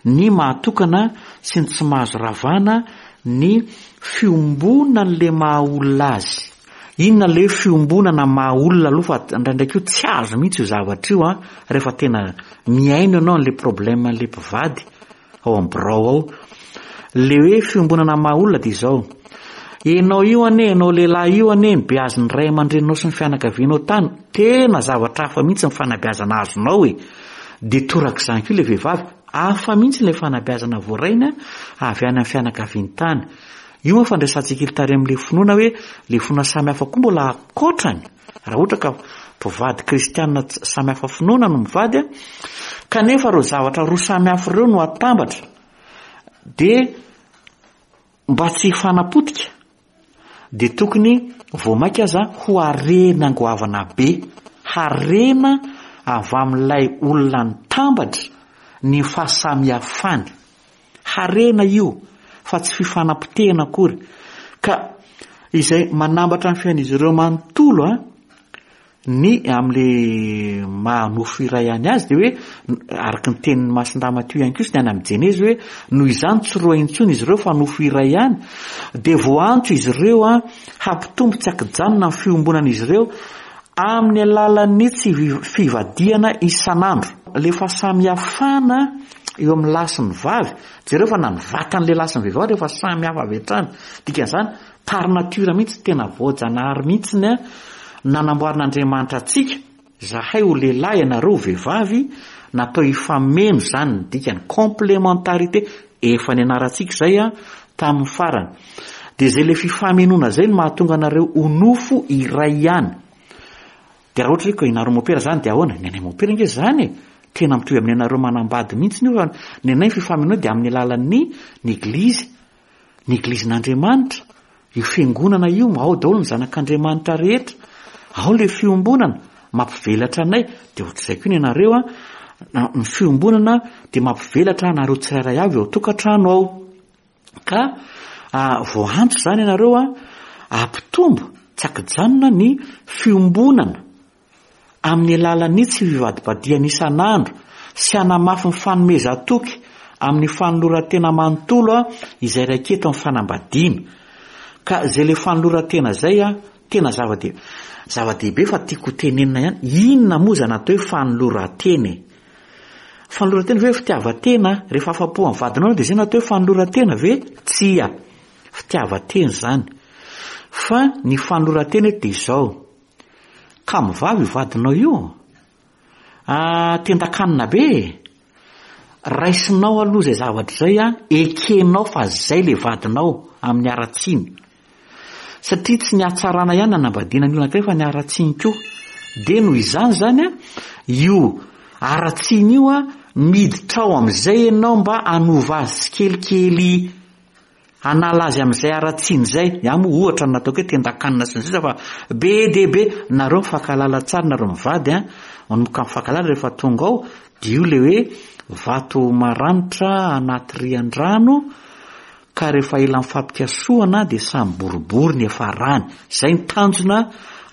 ny mahatokana sy ny tsy mahazo ravana ny fiombonan'ilay maha olona azy. Inona ilay hoe fiombonana maha olona aloha fa indraindray koa tsy azo mihitsy io zavatra io an, rehefa tena mihaino ianao an'ilay problème an'ilay mpivady ao amin'ny birao ao. Ilay hoe fiombonana maha olona dia izao, ianao io anie, ianao lehilahy io anie nobeazin'ny ray aman-dreninao sy ny fianakavianao tany, tena zavatra hafa mihitsy ny fanabeazana azonao e! Dia torak'izany koa ilay vehivavy, hafa mihitsy ilay fanabeazana voarainy avy any amin'ny fianakaviany tany. Io moa fandraisantsika ily tary amin'ilay finoana hoe ilay finoana samy hafa koa mbola ankoatrany raha ohatra ka mpivady kristiana samy hafa finoana no mivady an, kanefa ireo zavatra roa samy hafa ireo no atambatra dia mba tsy hifanapotika. dia tokony vao mainka aza ho harena goavana be, harena avy amin'ilay olona nitambatra ny fahasamihafany. Harena io fa tsy fifanapotehana akory. Ka izay manambatra ny fiainan'izy ireo manontolo an, ny amin'le maha nofo iray ihany azy dia hoe araka ny tenin'i Masindahy Matio ihany koa sy ny any amin'ny Jenezy hoe noho izany tsy roa intsony izy ireo fa nofo iray ihany, dia voaantso izy ireo an hampitombo tsy ankijanona ny fiombonan'izy ireo amin'ny alalan'ny tsy fivadihana isan'andro. Le fahasamihafana eo amin'ny lahy sy ny vavy, jereo fa na ny vatan'ny lehilahy sy ny vehivavy efa samy hafa avy hatrany, dikan'izany par nature mihitsy, tena voajanahary mihitsy ny nanamboarin'Andriamanitra antsika, zahay ho lehilahy ianareo ho vehivavy, natao hifameno izany ny dikany, complémentarité, efa nianarantsika izay tamin'ny farany. Dia izay ilay fifamenoana izay no mahatonga anareo ho nofo iray ihany. Dia raha ohatra hoe ka ianareo mopera izany dia ahoana? Ny anay mopera ange izany e! Tena mitovy amin'ny anareo manambady mihitsy io fa ny anay ny fifamenoana dia amin'ny alalan'ny ny eglizy. Ny eglizin'Andriamanitra, io fiangonana io, ao daholo ny zanak'Andriamanitra rehetra. Ao ilay fiombonana, mampivelatra anay. Dia ohatr'izay koa ny anareo an, ny fiombonana dia mampivelatra anareo tsirairay avy ao an-tokantrano ao. Ka voaantso izany ianareo an, hampitombo tsy ankijanona ny fiombonana amin'ny alalan'ny tsy fivadibadihana isan'andro sy hanamafy ny fanomezan-toky amin'ny fanoloran-tena manontolo izay raiketo amin'ny fanambadiana. Ka izay ilay fanoloran-tena izay tena zava-dehibe zava-dehibe fa tiako ho tenenina ihany, inona moa izany atao hoe fanoloran-tena e? Fanoloran-tena ve hoe fitiavan-tena? Rehefa afa-po amin'ny vadinao ianao dia izay no atao hoe fanoloran-tena ve? Tsia. Fitiavan-tena izany. Fa ny fanoloran-tena eto dia izao, Kamo vavy io vadinao io ah, tendakanina be e! Raisinao aloha izay zavatra izay an, ekenao fa zay le vadinao amin'ny haratsiany. Satria tsy ny hatsarana ihany nanambadiana ny olona anankiray fa ny haratsiany koa. Dia noho izany izany an, io haratsiany io an, miditra ao amin'izay ianao mba hanova azy tsikelikely. Hanala azy amin'izay haratsiany izay. Ny ahy moa ohatra ny nataoko hoe tendan-kanina sy ny sisa fa be dia be. Nareo mifankahalala tsara nareo mivady an, manomboka mifankahalala rehefa tonga ao dia io ilay hoe vato maranitra anaty rian-drano ka rehefa ela mifampikasohana dia samy boribory ny hiafarany. Izay ny tanjona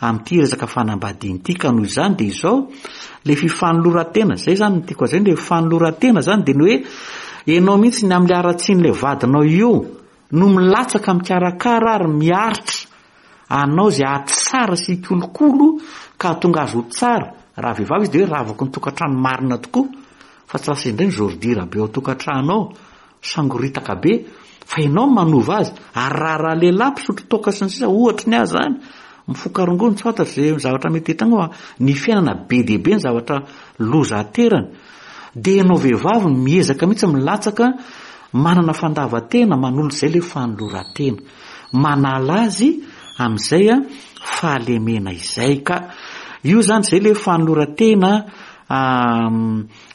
amin'ity resaka fanambadiana ity ka noho izany dia izao le fifanoloran-tena, izay izany no tiako lazaina, le fifanoloran-tena izany dia ny hoe ianao mihitsy ny amin'ilay haratsian'ilay vadinao io no milatsaka mikarakara ary miaritra anao izay hahatsara sy hikolokolo ka hahatonga azy ho tsara, raha vehivavy izy dia hoe ravako ny tokantrano marina tokoa fa tsy lasa indray ny zôridira be ao an-tokantrano ao. Sangoritaka be fa ianao no manova azy ary raha raha lehilahy mpisotro toaka sy ny sisa ohatry ny ahy zany mifoka rongony tsy fantatro ze zavatra mety hitranga fa ny fiainana be dia be ny zavatra loza aterany dia ianao vehivavy no miezaka mihitsy milatsaka manana fandavan-tena manolotra izay le fanoloran-tena manala azy amin'izay a fahalemena izay ka io zany zay le fanoloran-tena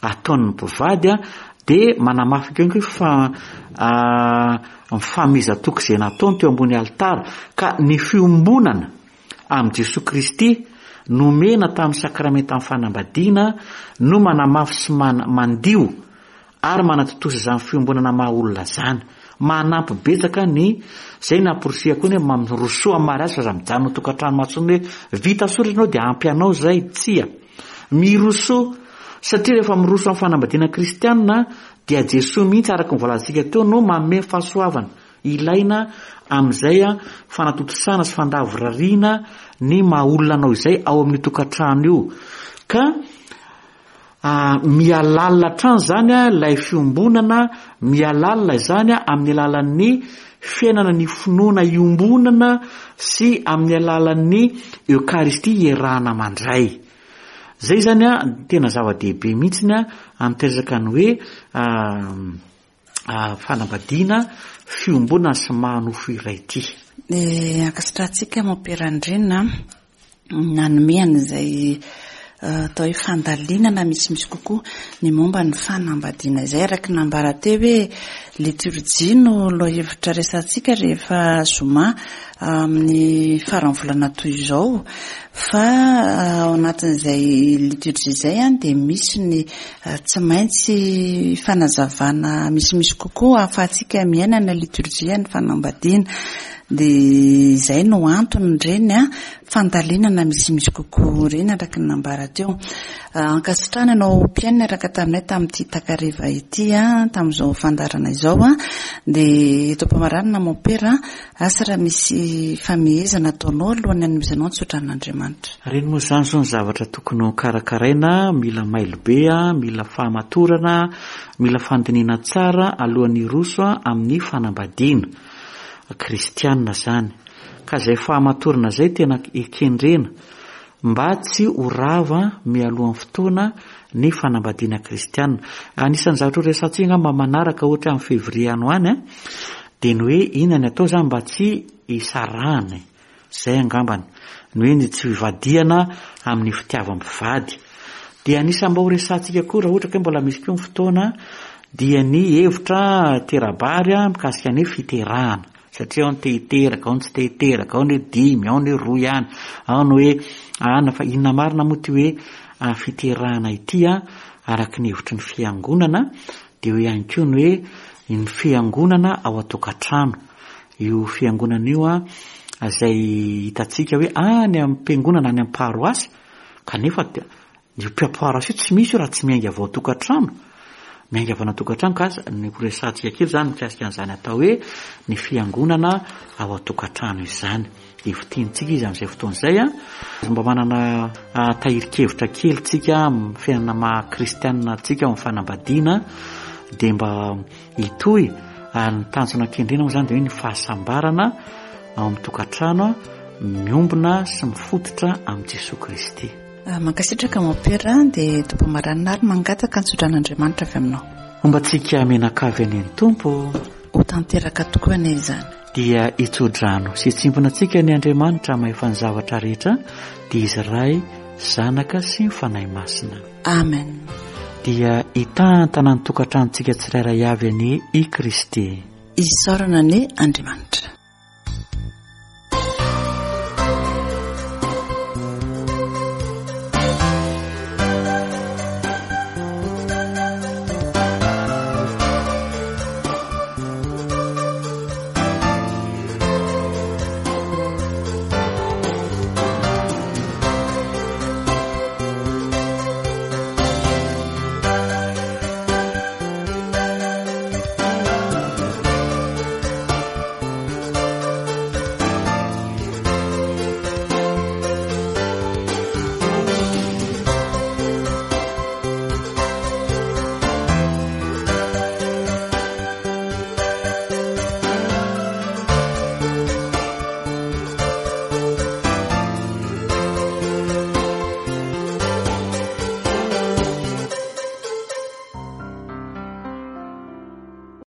ataon'ny mpivady dia manamafy koa koa fa ny fanomezan-toky izay nataony teo ambony alitara ka ny fiombonana amin'i Jesoa Kristy nomena tamin'ny sakramentan'ny fanambadiana no manamafy sy mandio ary manatontosa izany fiombonana maha olona izany. Manampy betsaka ny izay namporisihako ny hoe mirosoa amin'ny mariazy fa aza mijanona ao tokantrano matsony hoe vita soratra ianao dia ampy anao izay. Tsia. Mirosoa satria rehefa miroso amin'ny fanambadiana kristianina dia Jesoa mihitsy araka ny voalazantsika teo no manome fahasoavana ilaina amin'izay fanatontosana sy fandavorariana ny maha olona anao izay ao amin'io tokantrano io. Ka Mihalalina hatrany izany ilay fiombonana, mihalalina izany amin'ny alalan'ny fiainana ny finoana iombonana sy amin'ny alalan'ny Eokaristia iarahana mandray. Izay izany tena zava-dehibe mihitsy amin'ity resaka ny hoe fanambadiana fiombonana sy maha nofo iray ity. Dia ankasitrahantsika Mompera Andriana nanome an'izay atao hoe fandalinana misimisy kokoa ny momba ny fanambadiana izay araka ny nambara teo hoe. Liturjia no lohahevitra resahantsika rehefa zoma amin'ny faran'ny volana toy izao. Fa ao anatin'izay liturjia izay dia misy ny tsy maintsy fanazavana misimisy kokoa ahafahantsika miaina ny liturjia ny fanambadiana. Dia izay no antony ireny fandalinana misimisy kokoa ireny araka ny nambara teo. Ankasitrahana ianao mpihaino niaraka taminay tamin'ity takariva ity tamin'izao fandaharana izao. Dia eto am-pamaranana Mompera, asa raha misy famehezana ataonao alohan'ny hanomezanao ny tsotran'Andriamanitra. Ireny moa izany izao ny zavatra tokony ho karakaraina, mila mailo be, mila fahamatorana, mila fandinihana tsara alohan'ny hiroso amin'ny fanambadiana kristiana izany. Ka izay fahamatorana izay tena ekendrena mba tsy ho rava mialohan'ny fotoana ny fanambadiana kristiana. Anisan'ny zavatra ho resahantsika angamba manaraka ohatra amin'ny février any ho any dia ny hoe inona ny atao izany mba tsy hisarahana e. Izay angambany. Ny hoe ny tsy hivadihana amin'ny fitiavam-pivady. Dia anisan'ny mba ho resahantsika koa raha ohatra ka hoe mbola misy koa ny fotoana dia ny hevitra tera-bary mikasika ny fiterahana. Satria ao ny te hiteraka, ao ny tsy te hiteraka, ao ny hoe dimy, ao ny hoe roa ihany, ao ny hoe ana, fa inona marina moa ity hoe fiterahana ity an, araka ny hevitry ny fiangonana, dia eo ihany koa ny hoe ny fiangonana ao an-tokantrano. Io fiangonana io an, izay hitantsika hoe any am-piangonana, any am-paroasy, kanefa Io mpiapoara io tsy misy io raha tsy miainga avy ao an-tokantrano. Miainga avy any an-tokantrano ka ny ho resahantsika kely izany mikasika an'izany atao hoe ny fiangonana ao an-tokantrano izany. Dia fintinitsika izy amin'izay fotoana izay an. Mba manana tahirin-kevitra kely tsika amin'ny fiainana maha kristianina antsika ao amin'ny fanambadiana dia mba hitohy ary ny tanjona kendrena moa izany dia hoe ny fahasambarana ao amin'ny tokantrano miombona sy mifototra amin'i Jesoa Kristy. Mankasitraka Mompera dia tompom-maranina ary mangataka ny tsodran'Andriamanitra avy aminao. Homba antsika mianakavy anie ny Tompo. Ho tanteraka tokoa anie izany. Dia hitsodrano sy hitsimbina antsika anie Andriamanitra mahefa ny zavatra rehetra, dia Izy Ray, Zanaka sy ny Fanahy Masina. Amen. Dia hitantana ny tokantranontsika tsirairay avy anie i Kristy. Isaorana anie Andriamanitra.